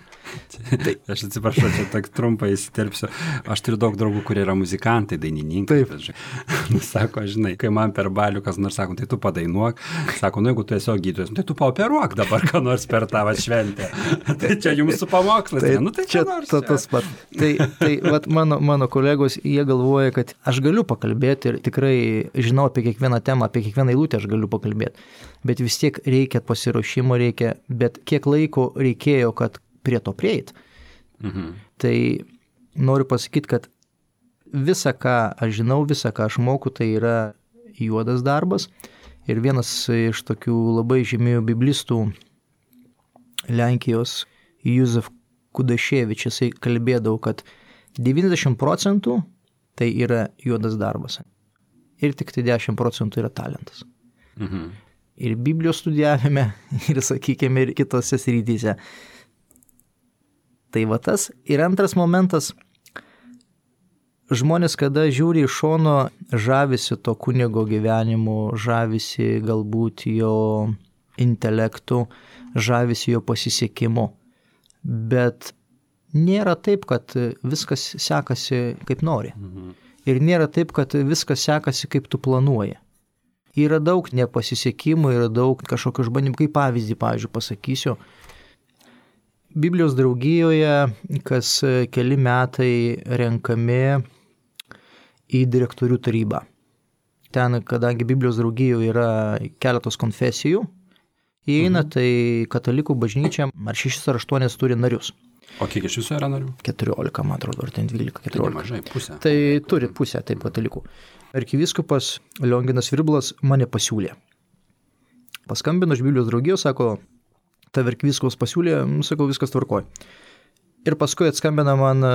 Tai, aš atsiprašau, čia tak trumpai įsiterpsiu. Aš turiu daug draugų, kurie yra muzikantai, dainininkai. Taip. Sako, žinai, kai man per balių kas nors sako, tai tu padainuok. Sako, nu jeigu tu esi gydytojas, tai tu paoperuok dabar, ką nors per tavo šventę. Tai čia jums su pamokslas.
Tai,
nu, tai
čia
nors,
ta, tas pat. Tai, tai vat, mano, mano kolegos, jie galvoja, kad aš galiu pakalbėti ir tikrai žinau apie kiekvieną temą, apie kiekvieną eilutę aš galiu pakalbėti. Bet vis tiek reikia pasiruošimo, reikia, bet kiek laiko reikėjo, kad prie to prieit. Mhm. Tai noriu pasakyti, kad visa, ką aš žinau, visa, ką aš moku, tai yra juodas darbas. Ir vienas iš tokių labai žymių biblistų Lenkijos, Józef Kudaševič, jisai kalbėdavo, kad devyniasdešimt procentų tai yra juodas darbas. Ir tik tai dešimt procentų yra talentas. Mhm. ir Biblijos studijavime, ir, sakykime, ir kitose srityse. Tai va tas. Ir antras momentas, žmonės, kada žiūri iš šono, žavisi to kunigo gyvenimu, žavisi galbūt jo intelektu, žavisi jo pasisekimu. Bet nėra taip, kad viskas sekasi kaip nori. Mhm. Ir nėra taip, kad viskas sekasi kaip tu planuoji. Yra daug nepasisekimų, yra daug kažkokių išbandymų. Kaip pavyzdį, pavyzdžiui, pasakysiu. Biblijos draugijoje kas keli metai renkami į direktorių tarybą. Ten, kadangi Biblijos draugijoje yra keletos konfesijų, įeina, mhm. tai katalikų bažnyčia ar šešis ar aštuonis turi narius.
O kiek iš viso yra narių?
keturiolika, man atrodo, ar ten dvylika, keturiolika.
Tai mažai, pusę.
Tai turi pusę, taip, katalikų. Arkivyskupas Lionginas Virblas mane pasiūlė. Paskambino iš Biblijos draugijos, sako, ta arkivyskupas pasiūlė, sakau, viskas tvarkoj. Ir paskui atskambina man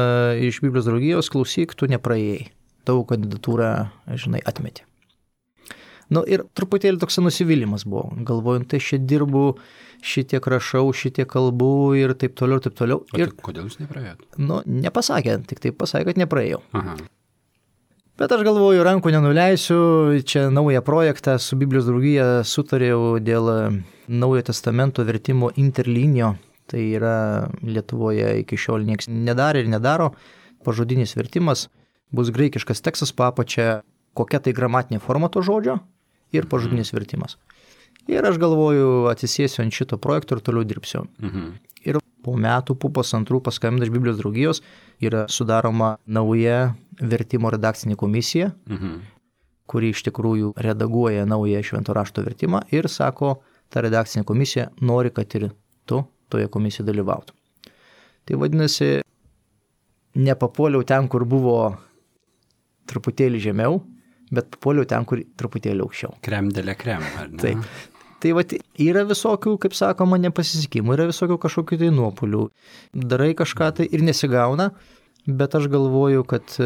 iš Biblijos draugijos, klausyk, tu nepraėjai. Tavo kandidatūrą, žinai, atmetė. Nu ir truputėlį toks nusivylimas buvo. Galvoju, tai čia dirbu, šitiek rašau, šitiek kalbu ir taip toliau, taip toliau.
O
ir,
tai kodėl jūs nepraėjot?
Nu, nepasakė, tik taip pasakė, kad nepraėjau.
Aha.
Bet aš galvoju, rankų nenuleisiu, čia naują projektą su Biblijos draugija sutarėjau dėl Naujojo testamento vertimo interlinio. Tai yra Lietuvoje iki šiol niekas nedarė ir nedaro. Pažodinis vertimas bus graikiškas tekstas papačia, kokia tai gramatinė forma to žodžio ir pažodinis mhm. vertimas. Ir aš galvoju, atsisėsiu ant šito projekto ir toliau dirbsiu. Mhm. Ir po metų, po pusantrų paskambina iš Biblijos draugijos, yra sudaroma nauja vertimo redakcinė komisija, mhm. kuri iš tikrųjų redaguoja naują švento rašto vertimą ir sako, ta redakcinė komisija nori, kad ir tu toje komisijoje dalyvautum. Tai vadinasi, nepapuoliau ten, kur buvo truputėlį žemiau, bet papuoliau ten, kur truputėlį aukščiau.
Krem dėlė krem, ar ne?
Taip. Tai va, yra visokių, kaip sakoma, nepasisekimų, yra visokių kažkokių tai nuopulių. Darai kažką tai ir nesigauna, bet aš galvoju, kad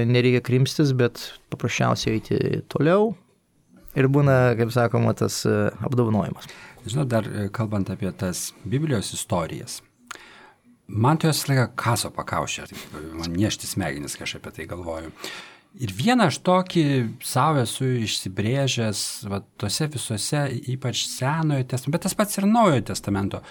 nereikia krimstis, bet paprasčiausiai eiti toliau ir būna, kaip sakoma, tas apdovanojimas.
Žinau, dar kalbant apie tas Biblijos istorijas, man to jos laiką kaso pakaušė, man niešti smegenis, kai aš apie tai galvoju. Ir vieną aš tokį savo esu išsibrėžęs, va, tose visose, ypač Senojo testamento, bet tas pats ir Naujojo testamento.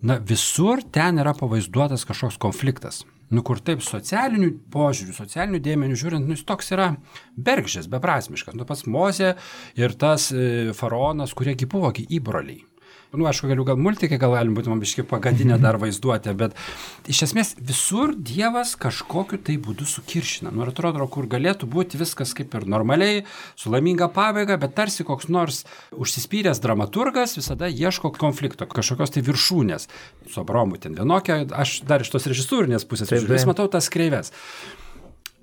Na, visur ten yra pavaizduotas kažkoks konfliktas. Nu, kur taip socialinių požiūrių, socialinių dėmenių žiūrint, nu, jis toks yra bergždžias, beprasmiškas. Nu, pats Mozė ir tas e, faraonas, kuriegi buvo įbroliai. Nu, aišku, galiu gal multikai, gal galim būti man biškai pagadinę dar vaizduotę, bet iš esmės visur Dievas kažkokiu tai būdu sukiršina. Nu, ir atrodo, kur galėtų būti viskas kaip ir normaliai, su laiminga pabaiga, bet tarsi koks nors užsispyręs dramaturgas visada ieško konflikto, kažkokios tai viršūnės. Su Abraomu ten vienokia, aš dar iš tos režisūrinės pusės vis matau tas kreives.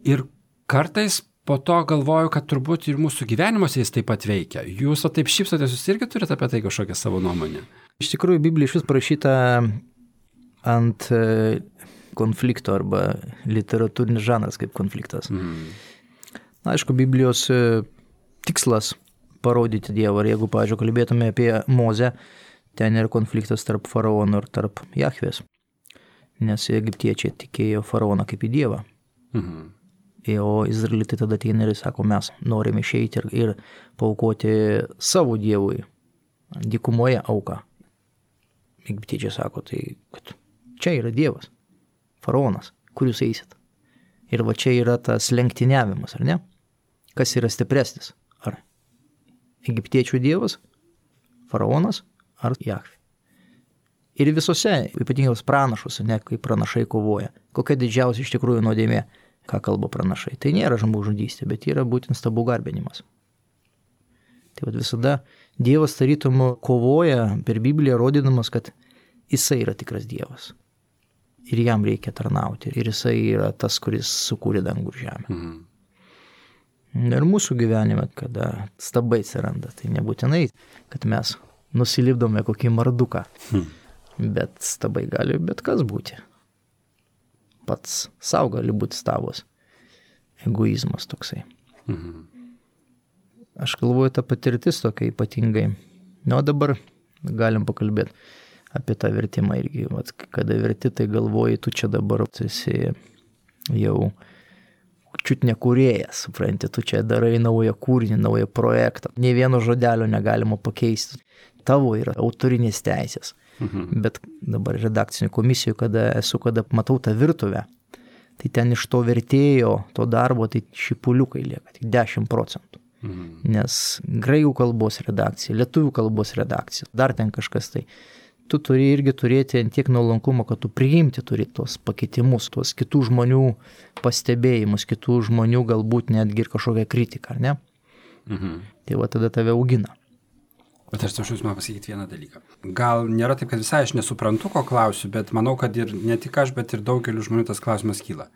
Ir kartais po to galvoju, kad turbūt ir mūsų gyvenimuose jis taip pat veikia. Jūs o taip šypsotės, jūs irgi turite apie tai kažkokią savo nuomonę?
Iš tikrųjų, Biblija iš vis parašyta ant konflikto arba literatūrinis žanras kaip konfliktas. Mm. Na, aišku, Biblijos tikslas parodyti Dievą. Ir jeigu, pavyzdžiui, kalbėtume apie Mozę, ten yra konfliktas tarp faraono ir tarp Jahvės. Nes egiptiečiai tikėjo faraoną kaip į Dievą. Mhm. O izraelitai tada ateina ir sako, mes norime išeiti ir, ir paaukoti savo Dievui dykumoje auką. Egiptiečiai sako, tai kad čia yra Dievas, faraonas, kur jūs eisit. Ir va čia yra tas lenktyniavimas, ar ne? Kas yra stipresnis? Ar egiptiečių Dievas, faraonas ar Jahvė? Ir visose, ypatingai pranašuose, ne, kai pranašai kovoja, kokia didžiausia iš tikrųjų nuodėmė, ką kalba pranašai. Tai nėra žmogžudystė, bet yra būtent stabų garbinimas. Tai vat visada Dievas tarytum kovoja per Bibliją, rodydamas, kad jisai yra tikras Dievas. Ir jam reikia tarnauti. Ir jisai yra tas, kuris sukūrė dangų ir žemę. Mhm. Ir mūsų gyvenime, kada stabai atsiranda, tai nebūtinai, kad mes nusilipdome kokį marduką. Mhm. Bet stabai gali bet kas būti. Pats savo gali būti stabas. Egoizmas toksai. Mhm. Aš galvoju, ta patirtis tokia ypatingai Nu, o dabar galim pakalbėti apie tą vertimą irgi. Vat, kada verti, tai galvoji, tu čia dabar esi jau čiut nekūrėjas, supranti, tu čia darai naują kūrinį, naują projektą. Nė vieno žodelio negalima pakeisti. Tavo yra autorinės teisės. Mhm. Bet dabar redakcinių komisijų, kada esu, kada matau tą virtuvę, tai ten iš to vertėjo, to darbo, tai šipuliukai lieka, tik dešimt procentų. Mhm. Nes graikų kalbos redakcija, lietuvių kalbos redakcija, dar ten kažkas tai. Tu turi irgi turėti ant tiek nuolankumo, kad tu priimti turi tos pakeitimus, tos kitų žmonių pastebėjimus, kitų žmonių galbūt netgi ir kažkokią kritiką, ar ne? Mhm. Tai va tada tave augina.
Bet aš tačiau jūs man pasakyti vieną dalyką. Gal nėra taip, kad visai aš nesuprantu, ko klausiu, bet manau, kad ir ne tik aš, bet ir daugeliu žmonių tas klausimas kyla.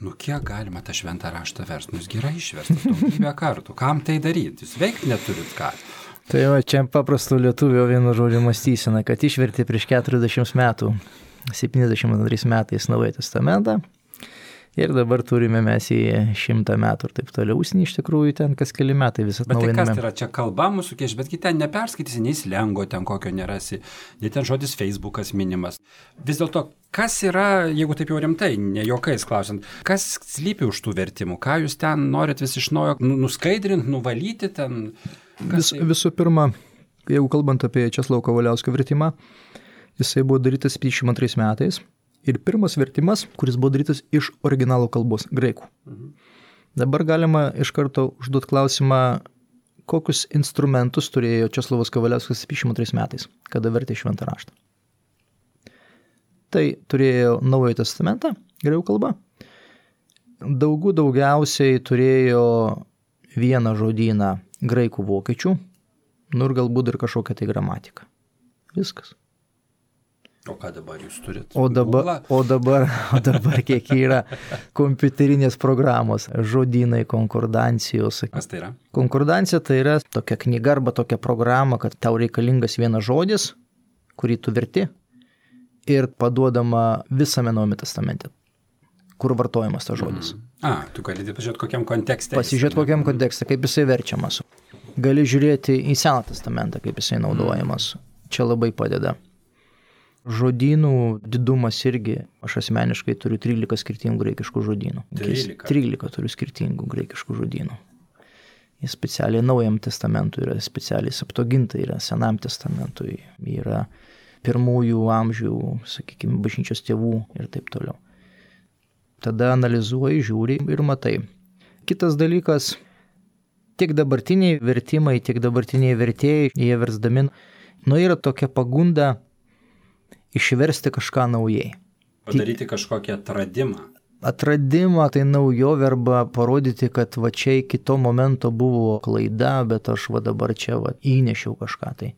Nu kiek galima tą šventą raštą versti? Nu jis gerai išverstas daugybę kartų. Kam tai daryti? Jūs veikti neturit ką.
Tai va, čia paprasto lietuvio vienu žodžiu mąstysena, kad išvertė prieš keturiasdešimt metų, septyniasdešimt antrais metais Naująjį testamentą ir dabar turime mes į šimtą metų ir taip toliau. Užsienį iš tikrųjų ten kas keli metai visą atnaujiname.
Bet tai kas tai yra? Čia kalba mūsų kieš, betgi ten neperskaitysi, nei slengo ten kokio nerasi, nei ten žodis Facebookas minimas. Vis dėlto, kas yra, jeigu taip jau rimtai, ne juokais klausiant, kas slypi už tų vertimų? Ką jūs ten norit vis iš naujo nuskaidrinti, nuvalyti ten?
Vis, visų pirma, jeigu kalbant apie Česlovo Kavaliausko vertimą, jisai buvo darytas penkiasdešimt antrais metais ir pirmas vertimas, kuris buvo darytas iš originalo kalbos, graikų. Mhm. Dabar galima iš karto užduoti klausimą, kokius instrumentus turėjo Česlovas Kavaliauskas penkiasdešimt antrais metais, kada vertė šventą raštą. Tai turėjo Naująjį testamentą, graikų kalba. Daugų daugiausiai turėjo vieną žodyną graikų vokiečių, nu ir galbūt ir kažkokią tai gramatiką. Viskas.
O ką dabar jūs turite?
O dabar, o dabar, o dabar kiek yra kompiuterinės programos, žodynai, konkordancijos.
Kas tai yra?
Konkordancija tai yra tokia knyga arba tokia programa, kad tau reikalingas vienas žodis, kurį tu verti ir paduodama visame Naujame testamente, kur vartojamas tas žodis.
Mm. A, tu gali pasižiūrėti kokiam kontekste.
Pasižiūrėti kokiam kontekste, kaip jisai verčiamas. Gali žiūrėti į Seną testamentą, kaip jisai naudojamas. Čia labai padeda. Žodynų didumas irgi, aš asmeniškai turiu trylika skirtingų graikiškų žodynų.
trylika.
trylika turiu skirtingų graikiškų žodynų. Jis specialiai Naujam testamentui yra, specialiai Septuagintai yra, Senam testamentui yra, pirmųjų amžių, sakykime, bažnyčios tėvų ir taip toliau. Tada analizuoji, žiūri ir matai. Kitas dalykas, tiek dabartiniai vertimai, tiek dabartiniai vertėjai, jie versdami, nu yra tokia pagunda išversti kažką naujai.
Padaryti kažkokį atradimą.
Atradimą, tai naujovė arba parodyti, kad va čia iki to momento buvo klaida, bet aš va dabar čia va įnešiau kažką tai.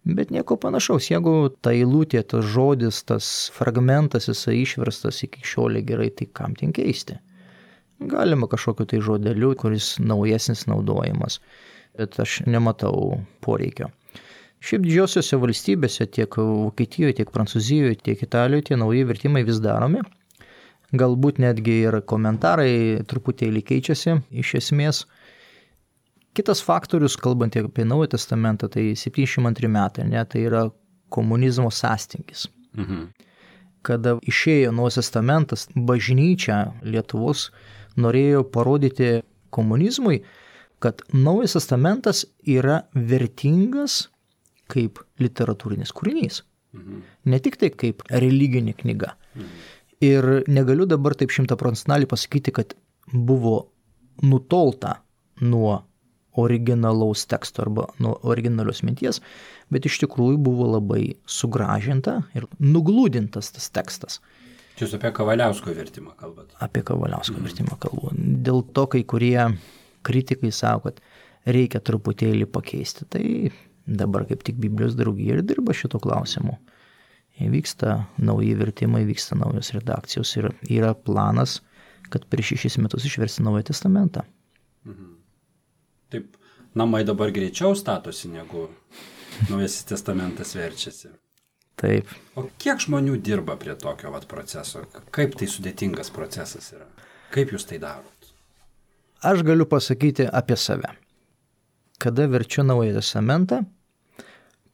Bet nieko panašaus, jeigu ta eilutė, tas žodis, tas fragmentas, jisai išverstas iki šiolė gerai, tai kam ten keisti? Galima kažkokiu tai žodeliu, kuris naujesnis naudojimas, bet aš nematau poreikio. Šiaip didžiosiuose valstybėse, tiek Vokietijoje, tiek Prancūzijoje, tiek Italijoje, tie nauji vertimai vis daromi. Galbūt netgi ir komentarai truputėlį keičiasi iš esmės. Kitas faktorius, kalbant apie Naują testamentą, tai septyniasdešimt antri metai, ne, tai yra komunizmo sąstingis. Mhm. Kada išėjo Naujas testamentas, bažnyčia Lietuvos norėjo parodyti komunizmui, kad Naujas testamentas yra vertingas kaip literatūrinis kūrinys. Mhm. Ne tik tai kaip religinė knyga. Mhm. Ir negaliu dabar taip šimtaprocentinaliai pasakyti, kad buvo nutolta nuo originalaus teksto arba nuo originalios minties, bet iš tikrųjų buvo labai sugražinta ir nuglūdintas tas tekstas.
Jūs apie Kavaliausko vertimą kalbat?
Apie Kavaliausko mhm. vertimą kalbu. Dėl to kai kurie kritikai sako, kad reikia truputėlį pakeisti. Tai dabar kaip tik Biblijos draugija ir dirba šito klausimu. Vyksta nauji vertimai, vyksta naujos redakcijos ir yra planas, kad prieš šešis metus išversti Naują testamentą.
Mhm. Taip, namai dabar greičiau statosi, negu Naujasis testamentas verčiasi.
Taip.
O kiek žmonių dirba prie tokio vat proceso? Kaip tai sudėtingas procesas yra? Kaip jūs tai darot?
Aš galiu pasakyti apie save. Kada verčiu Naują testamentą,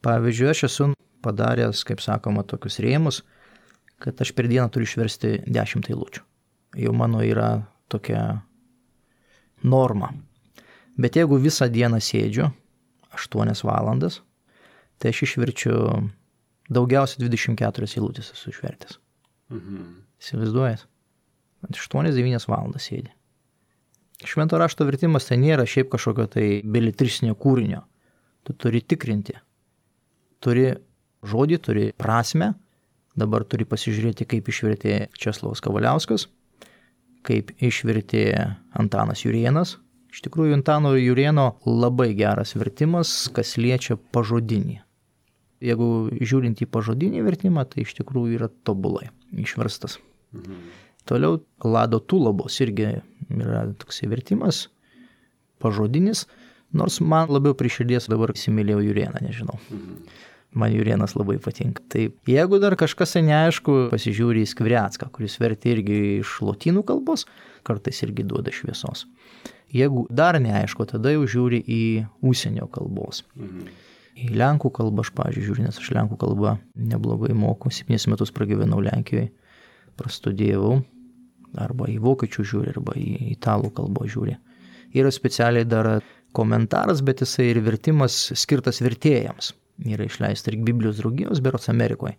Pavyzdžiui, aš esu padaręs, kaip sakoma, tokius rėmus, kad aš per dieną turiu išversti dešimt eilučių. Jau mano yra tokia norma. Bet jeigu visą dieną sėdžiu, aštuonias valandas, tai aš išverčiu daugiausiai dvidešimt keturias eilutės esu išvertęs. Mhm. Įsivaizduojat? aštuonias devynias valandas sėdi. Švento rašto vertimas tai nėra šiaip kažkokio tai beletristinio kūrinio. Tu turi tikrinti. Turi žodį, turi prasmę. Dabar turi pasižiūrėti, kaip išvertė Česlovas Kavaliauskas, kaip išvertė Antanas Jurėnas. Iš tikrųjų, Antano Jurėno labai geras vertimas, kas liečia pažodinį. Jeigu žiūrint į pažodinį vertimą, tai iš tikrųjų yra tobulai išverstas. Mhm. Toliau Lado Tulabos irgi yra toks vertimas, pažodinis, nors man labiau prie širdies dabar įsimylėjau Jurėną, nežinau. Mhm. Man Jurėnas labai patinka. Tai jeigu dar kažkas neaišku, pasižiūri į Skvirecką, kuris vertė irgi iš lotynų kalbos, kartais irgi duoda šviesos. Jeigu dar neaišku, tada jau žiūri į užsienio kalbos. Mhm. Į lenkų kalbą aš, pavyzdžiui, žiūriu, nes aš lenkų kalbą neblogai moku, septynis metus pragyvenau Lenkijoje, prastudėjau, arba į vokiečių žiūri, arba į italų kalbą žiūri. Yra specialiai dar komentaras, bet jisai ir vertimas skirtas vertėjams. Yra išleista ir Biblijos draugijos, berods Amerikoje.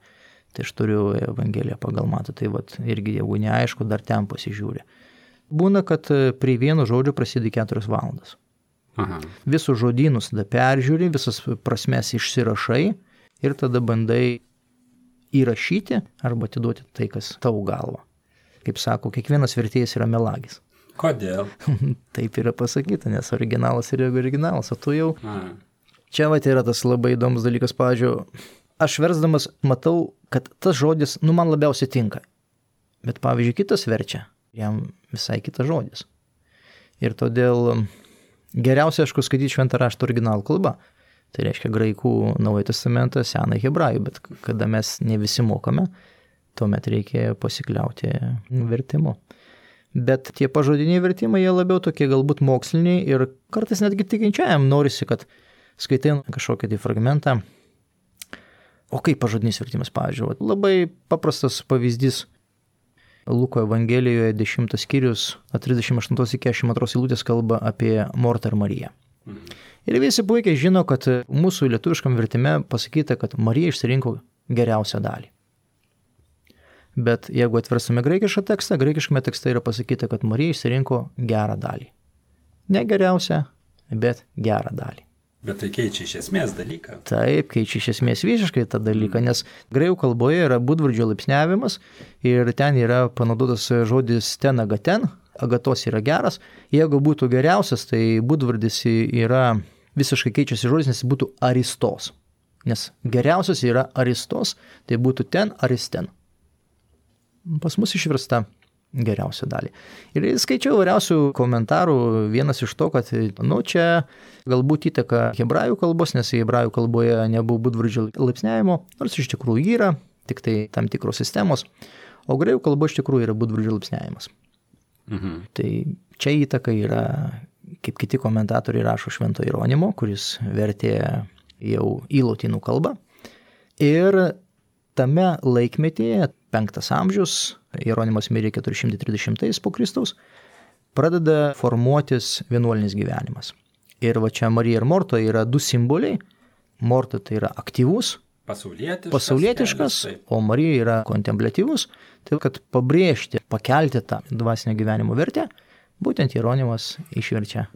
Tai aš turiu Evangeliją pagal Matą, tai vat, irgi jeigu neaišku, dar ten pasižiūri. Būna, kad prie vieno žodžio prasideda keturias valandas. Aha. Visus žodynus tada peržiūri, visas prasmes išsirašai ir tada bandai įrašyti arba atiduoti tai, kas tau galva. Kaip sako, kiekvienas vertėjas yra melagis.
Kodėl?
Taip yra pasakyta, nes originalas yra originalas, o tu jau... A. Čia vat yra tas labai įdomus dalykas, pavyzdžiui, aš versdamas matau, kad tas žodis, nu, man labiausiai tinka. Bet, pavyzdžiui, kitas verčia, jam visai kitas žodis. Ir todėl geriausia, aišku, skaityti šventą raštą originalų kalbą. Tai reiškia graikų Naująjį testamentą, Senąjį hebrajų, bet kada mes ne visi mokame, tuomet reikia pasikliauti vertimu. Bet tie pažodiniai vertimai, jie labiau tokie galbūt moksliniai ir kartais netgi tikinčiajam norisi, kad skaitai kažkokį tai fragmentą. O kaip pažodinis vertimas, pavyzdžiui, labai paprastas pavyzdys. Luko Evangelijoje dešimtas skyrius, trisdešimt aštuntos iki keturiasdešimt antros eilutės kalba apie Mortą ir Mariją. Ir visi puikiai žino, kad mūsų lietuviškam vertime pasakyta, kad Marija išsirinko geriausią dalį. Bet jeigu atversime graikišką tekstą, graikiškame tekste yra pasakyta, kad Marija išsirinko gerą dalį. Ne geriausią, bet gerą dalį.
Bet tai keičia iš esmės dalyką.
Taip, keičia iš esmės visiškai tą dalyką, nes graikų kalboje yra būdvardžio laipsniavimas ir ten yra panaudotas žodis ten agaten, agatos yra geras. Jeigu būtų geriausias, tai būdvardis yra visiškai keičiasi žodis, nes būtų aristos. Nes geriausias yra aristos, tai būtų ten aristen. Pas mus išversta geriausią dalį. Ir skaičiau vairiausių komentarų, vienas iš to, kad nu, čia galbūt įtaka hebrajų kalbos, nes hebrajų kalboje nebuvo būdvardžio laipsniavimo, nors iš tikrųjų yra, tik tai tam tikros sistemos, o graikų kalba iš tikrųjų yra būdvardžio laipsniavimas. Mhm. Tai čia įtaka yra, kaip kiti komentatoriai rašo, Švento Jeronimo, kuris vertė jau į lotynų kalbą. Ir tame laikmetyje, penktas amžius, Jeronimas mirė keturi šimtai trisdešimtais po Kristaus, pradeda formuotis vienuolinis gyvenimas. Ir va čia Marija ir Morta yra du simboliai. Morta tai yra aktyvus,
pasaulietiškas,
pasaulietiškas kelias, o Marija yra kontempliatyvus. Tai kad pabrėžti, pakelti tą dvasinio gyvenimo vertę, būtent Jeronimas išverčia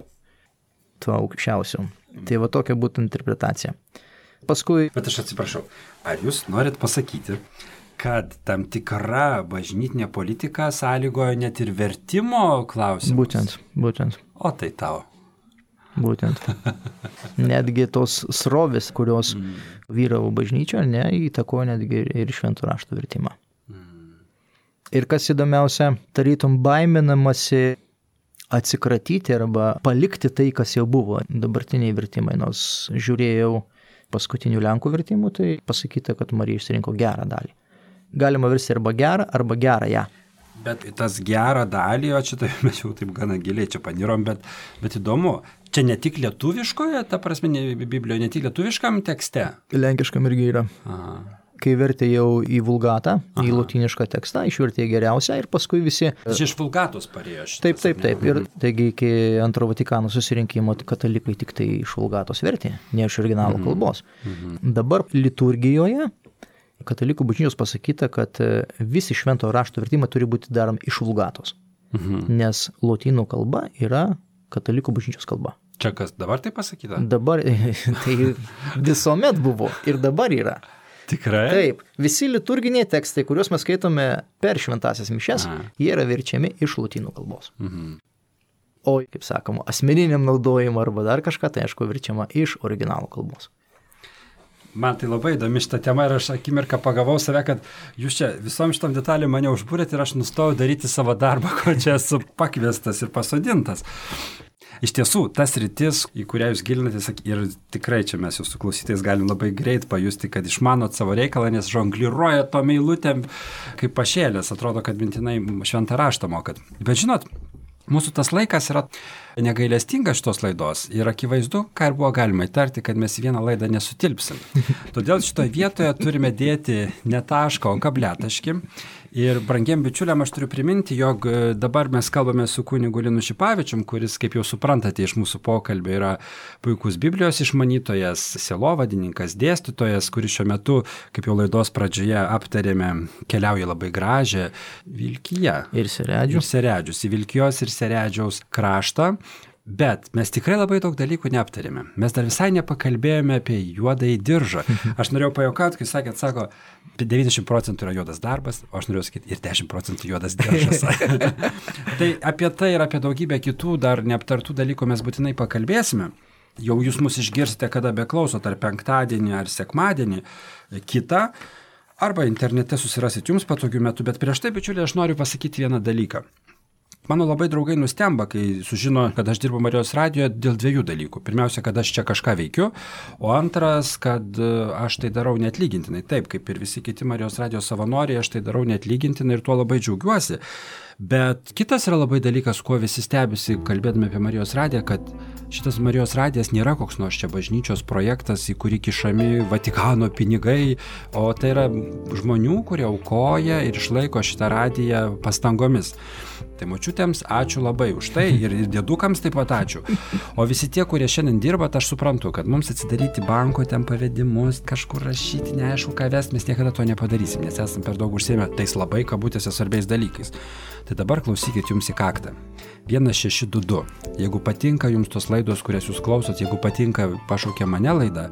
tuo aukščiausiu. Mm. Tai va tokia būtų interpretacija. Paskui...
Bet aš atsiprašau, ar jūs norit pasakyti, kad tam tikra bažnytinė politika sąlygojo net ir vertimo klausimus?
Būtent, būtent.
O tai tau.
Būtent. Netgi tos srovės, kurios mm. vyravo bažnyčioje, ne, įtakojo netgi ir šventų raštų vertimą. Mm. Ir kas įdomiausia, tarytum baiminamasi atsikratyti arba palikti tai, kas jau buvo dabartiniai vertimai. Nors žiūrėjau paskutinių lenkų vertimų, tai pasakyta, kad Marija išsirinko gerą dalį. Galima versti arba gerą, arba gerą ją.
Bet tas gerą dalį, o čia tai mes jau taip gana giliai čia panirom, bet, bet įdomu. Čia ne tik lietuviškoje, ta prasme, ne, Biblijoje, ne tik lietuviškam tekste?
Lenkiškam irgi yra.
Aha.
Kai vertė jau į vulgatą, Aha. į lotynišką tekstą, išvertė geriausią ir paskui visi...
Čia iš vulgatos parėjo šitas.
Taip, taip, taip. Ir taigi iki antro Vatikano susirinkimo katalikai tik tai iš vulgatos vertė, ne iš originalo mhm. kalbos. Mhm. Dabar liturgijoje katalikų bažnyčios pasakyta, kad visi švento rašto vertimai turi būti daromi iš vulgatos, mhm. nes lotynų kalba yra katalikų bažnyčios kalba.
Čia kas dabar tai pasakyta?
Dabar tai visuomet buvo ir dabar yra.
Tikrai?
Taip, visi liturginiai tekstai, kuriuos mes skaitome per šventasias mišes, Aha. jie yra verčiami iš lotynų kalbos. Mhm. O, kaip sakoma, asmeniniam naudojimui arba dar kažką, tai aišku, verčiama iš originalų kalbos.
Man tai labai įdomi šitą temą ir aš akimirką pagavau save, kad jūs čia visom šitom detalėm mane užbūrėt ir aš nustojau daryti savo darbą, ko čia esu pakviestas ir pasodintas. Iš tiesų, tas rytis, į kurią jūs gilinatės, ir tikrai čia mes jūsų klausytais galim labai greit pajusti, kad išmanot savo reikalą, nes žongliruoja tom eilutėm kaip pašėlės, atrodo, kad mintinai šventą raštą mokat. Bet žinot, mūsų tas laikas yra negailestingas šitos laidos ir akivaizdu, ką ir buvo galima įtarti, kad mes į vieną laidą nesutilpsim. Todėl šitoje vietoje turime dėti ne tašką, o kabletaškį. Ir brangiem bičiuliam aš turiu priminti, jog dabar mes kalbame su kunigu Linu Šipavičium, kuris, kaip jau suprantate iš mūsų pokalbio, yra puikus Biblijos išmanytojas, sielovadininkas, dėstytojas, kuris šiuo metu, kaip jau laidos pradžioje aptarėme, keliauja labai gražią Vilkiją.
Ir Seredžius.
Ir Seredžius, į Vilkijos ir Seredžiaus kraštą. Bet mes tikrai labai daug dalykų neaptarėme. Mes dar visai nepakalbėjome apie juodąjį diržą. Aš norėjau pajuokauti, kai sakėt, sako, devyniasdešimt procentų yra juodas darbas, o aš norėjau sakyti, ir dešimt procentų juodas diržas. Tai apie tai ir apie daugybę kitų dar neaptartų dalykų mes būtinai pakalbėsime. Jau jūs mus išgirsite, kada beklausot, ar penktadienį, ar sekmadienį, kitą, arba internete susirasit jums patogiu metu. Bet prieš tai, bičiuliai, aš noriu pasakyti vieną dalyką. Mano labai draugai nustemba, kai sužino, kad aš dirbu Marijos radijoje dėl dviejų dalykų. Pirmiausia, kad aš čia kažką veikiu, o antras, kad aš tai darau neatlygintinai. Taip, kaip ir visi kiti Marijos radijos savanoriai, aš tai darau neatlygintinai ir tuo labai džiaugiuosi. Bet kitas yra labai dalykas, kuo visi stebisi, kalbėdami apie Marijos radiją, kad šitas Marijos radijas nėra koks nors čia bažnyčios projektas, į kurį kišami Vatikano pinigai, o tai yra žmonių, kurie aukoja ir išlaiko šitą radiją pastangomis. Tai močiutėms ačiū labai už tai ir dėdukams taip pat ačiū. O visi tie, kurie šiandien dirba, aš suprantu, kad mums atsidaryti banko ten pavedimus, kažkur rašyti, neaišku ką vesti, mes niekada to nepadarysim, nes esame per daug užsiėmę tais labai kabutėse svarbiais dalykais. Tai dabar klausykit jums į kaktą. vienas šeši du du. Jeigu patinka jums tos laidos, kurias jūs klausot, jeigu patinka pašaukė mane laida,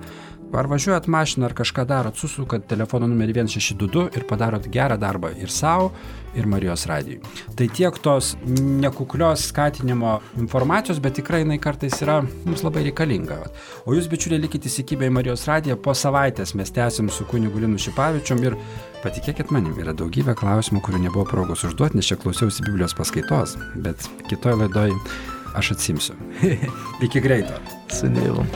ar važiuojat mašiną, ar kažką darot, susukat telefono numerį vienas šeši du du ir padarot gerą darbą ir savo, ir Marijos radijui. Tai tiek tos nekuklios skatinimo informacijos, bet tikrai jinai kartais yra mums labai reikalinga. O jūs, bičiuliai, likite įsikibę į Marijos radiją, po savaitės mes tęsim su kunigu Linu Šipavičium ir patikėkit manim, yra daugybė klausimų, kurių nebuvo progos užduoti, nes čia klausiausi Biblijos paskaitos, bet kitoj laidoj aš atsimsiu. Iki greito.
Su Dievu.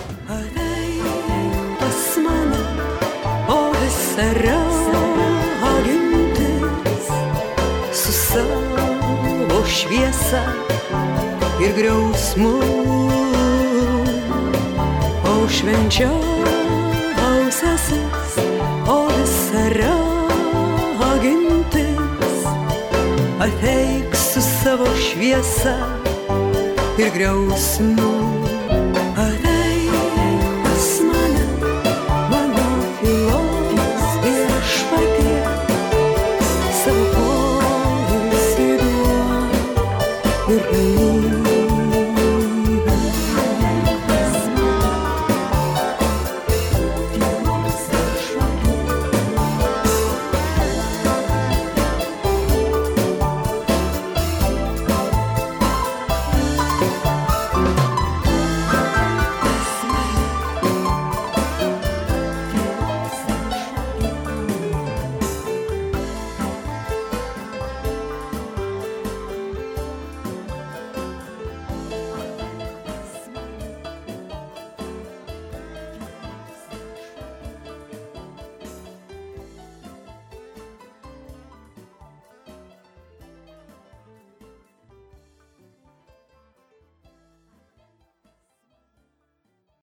Ragintis su savo šviesa ir griausmu, o švenčiausiasis, o visa ragintis ateik su savo šviesa ir griausmu.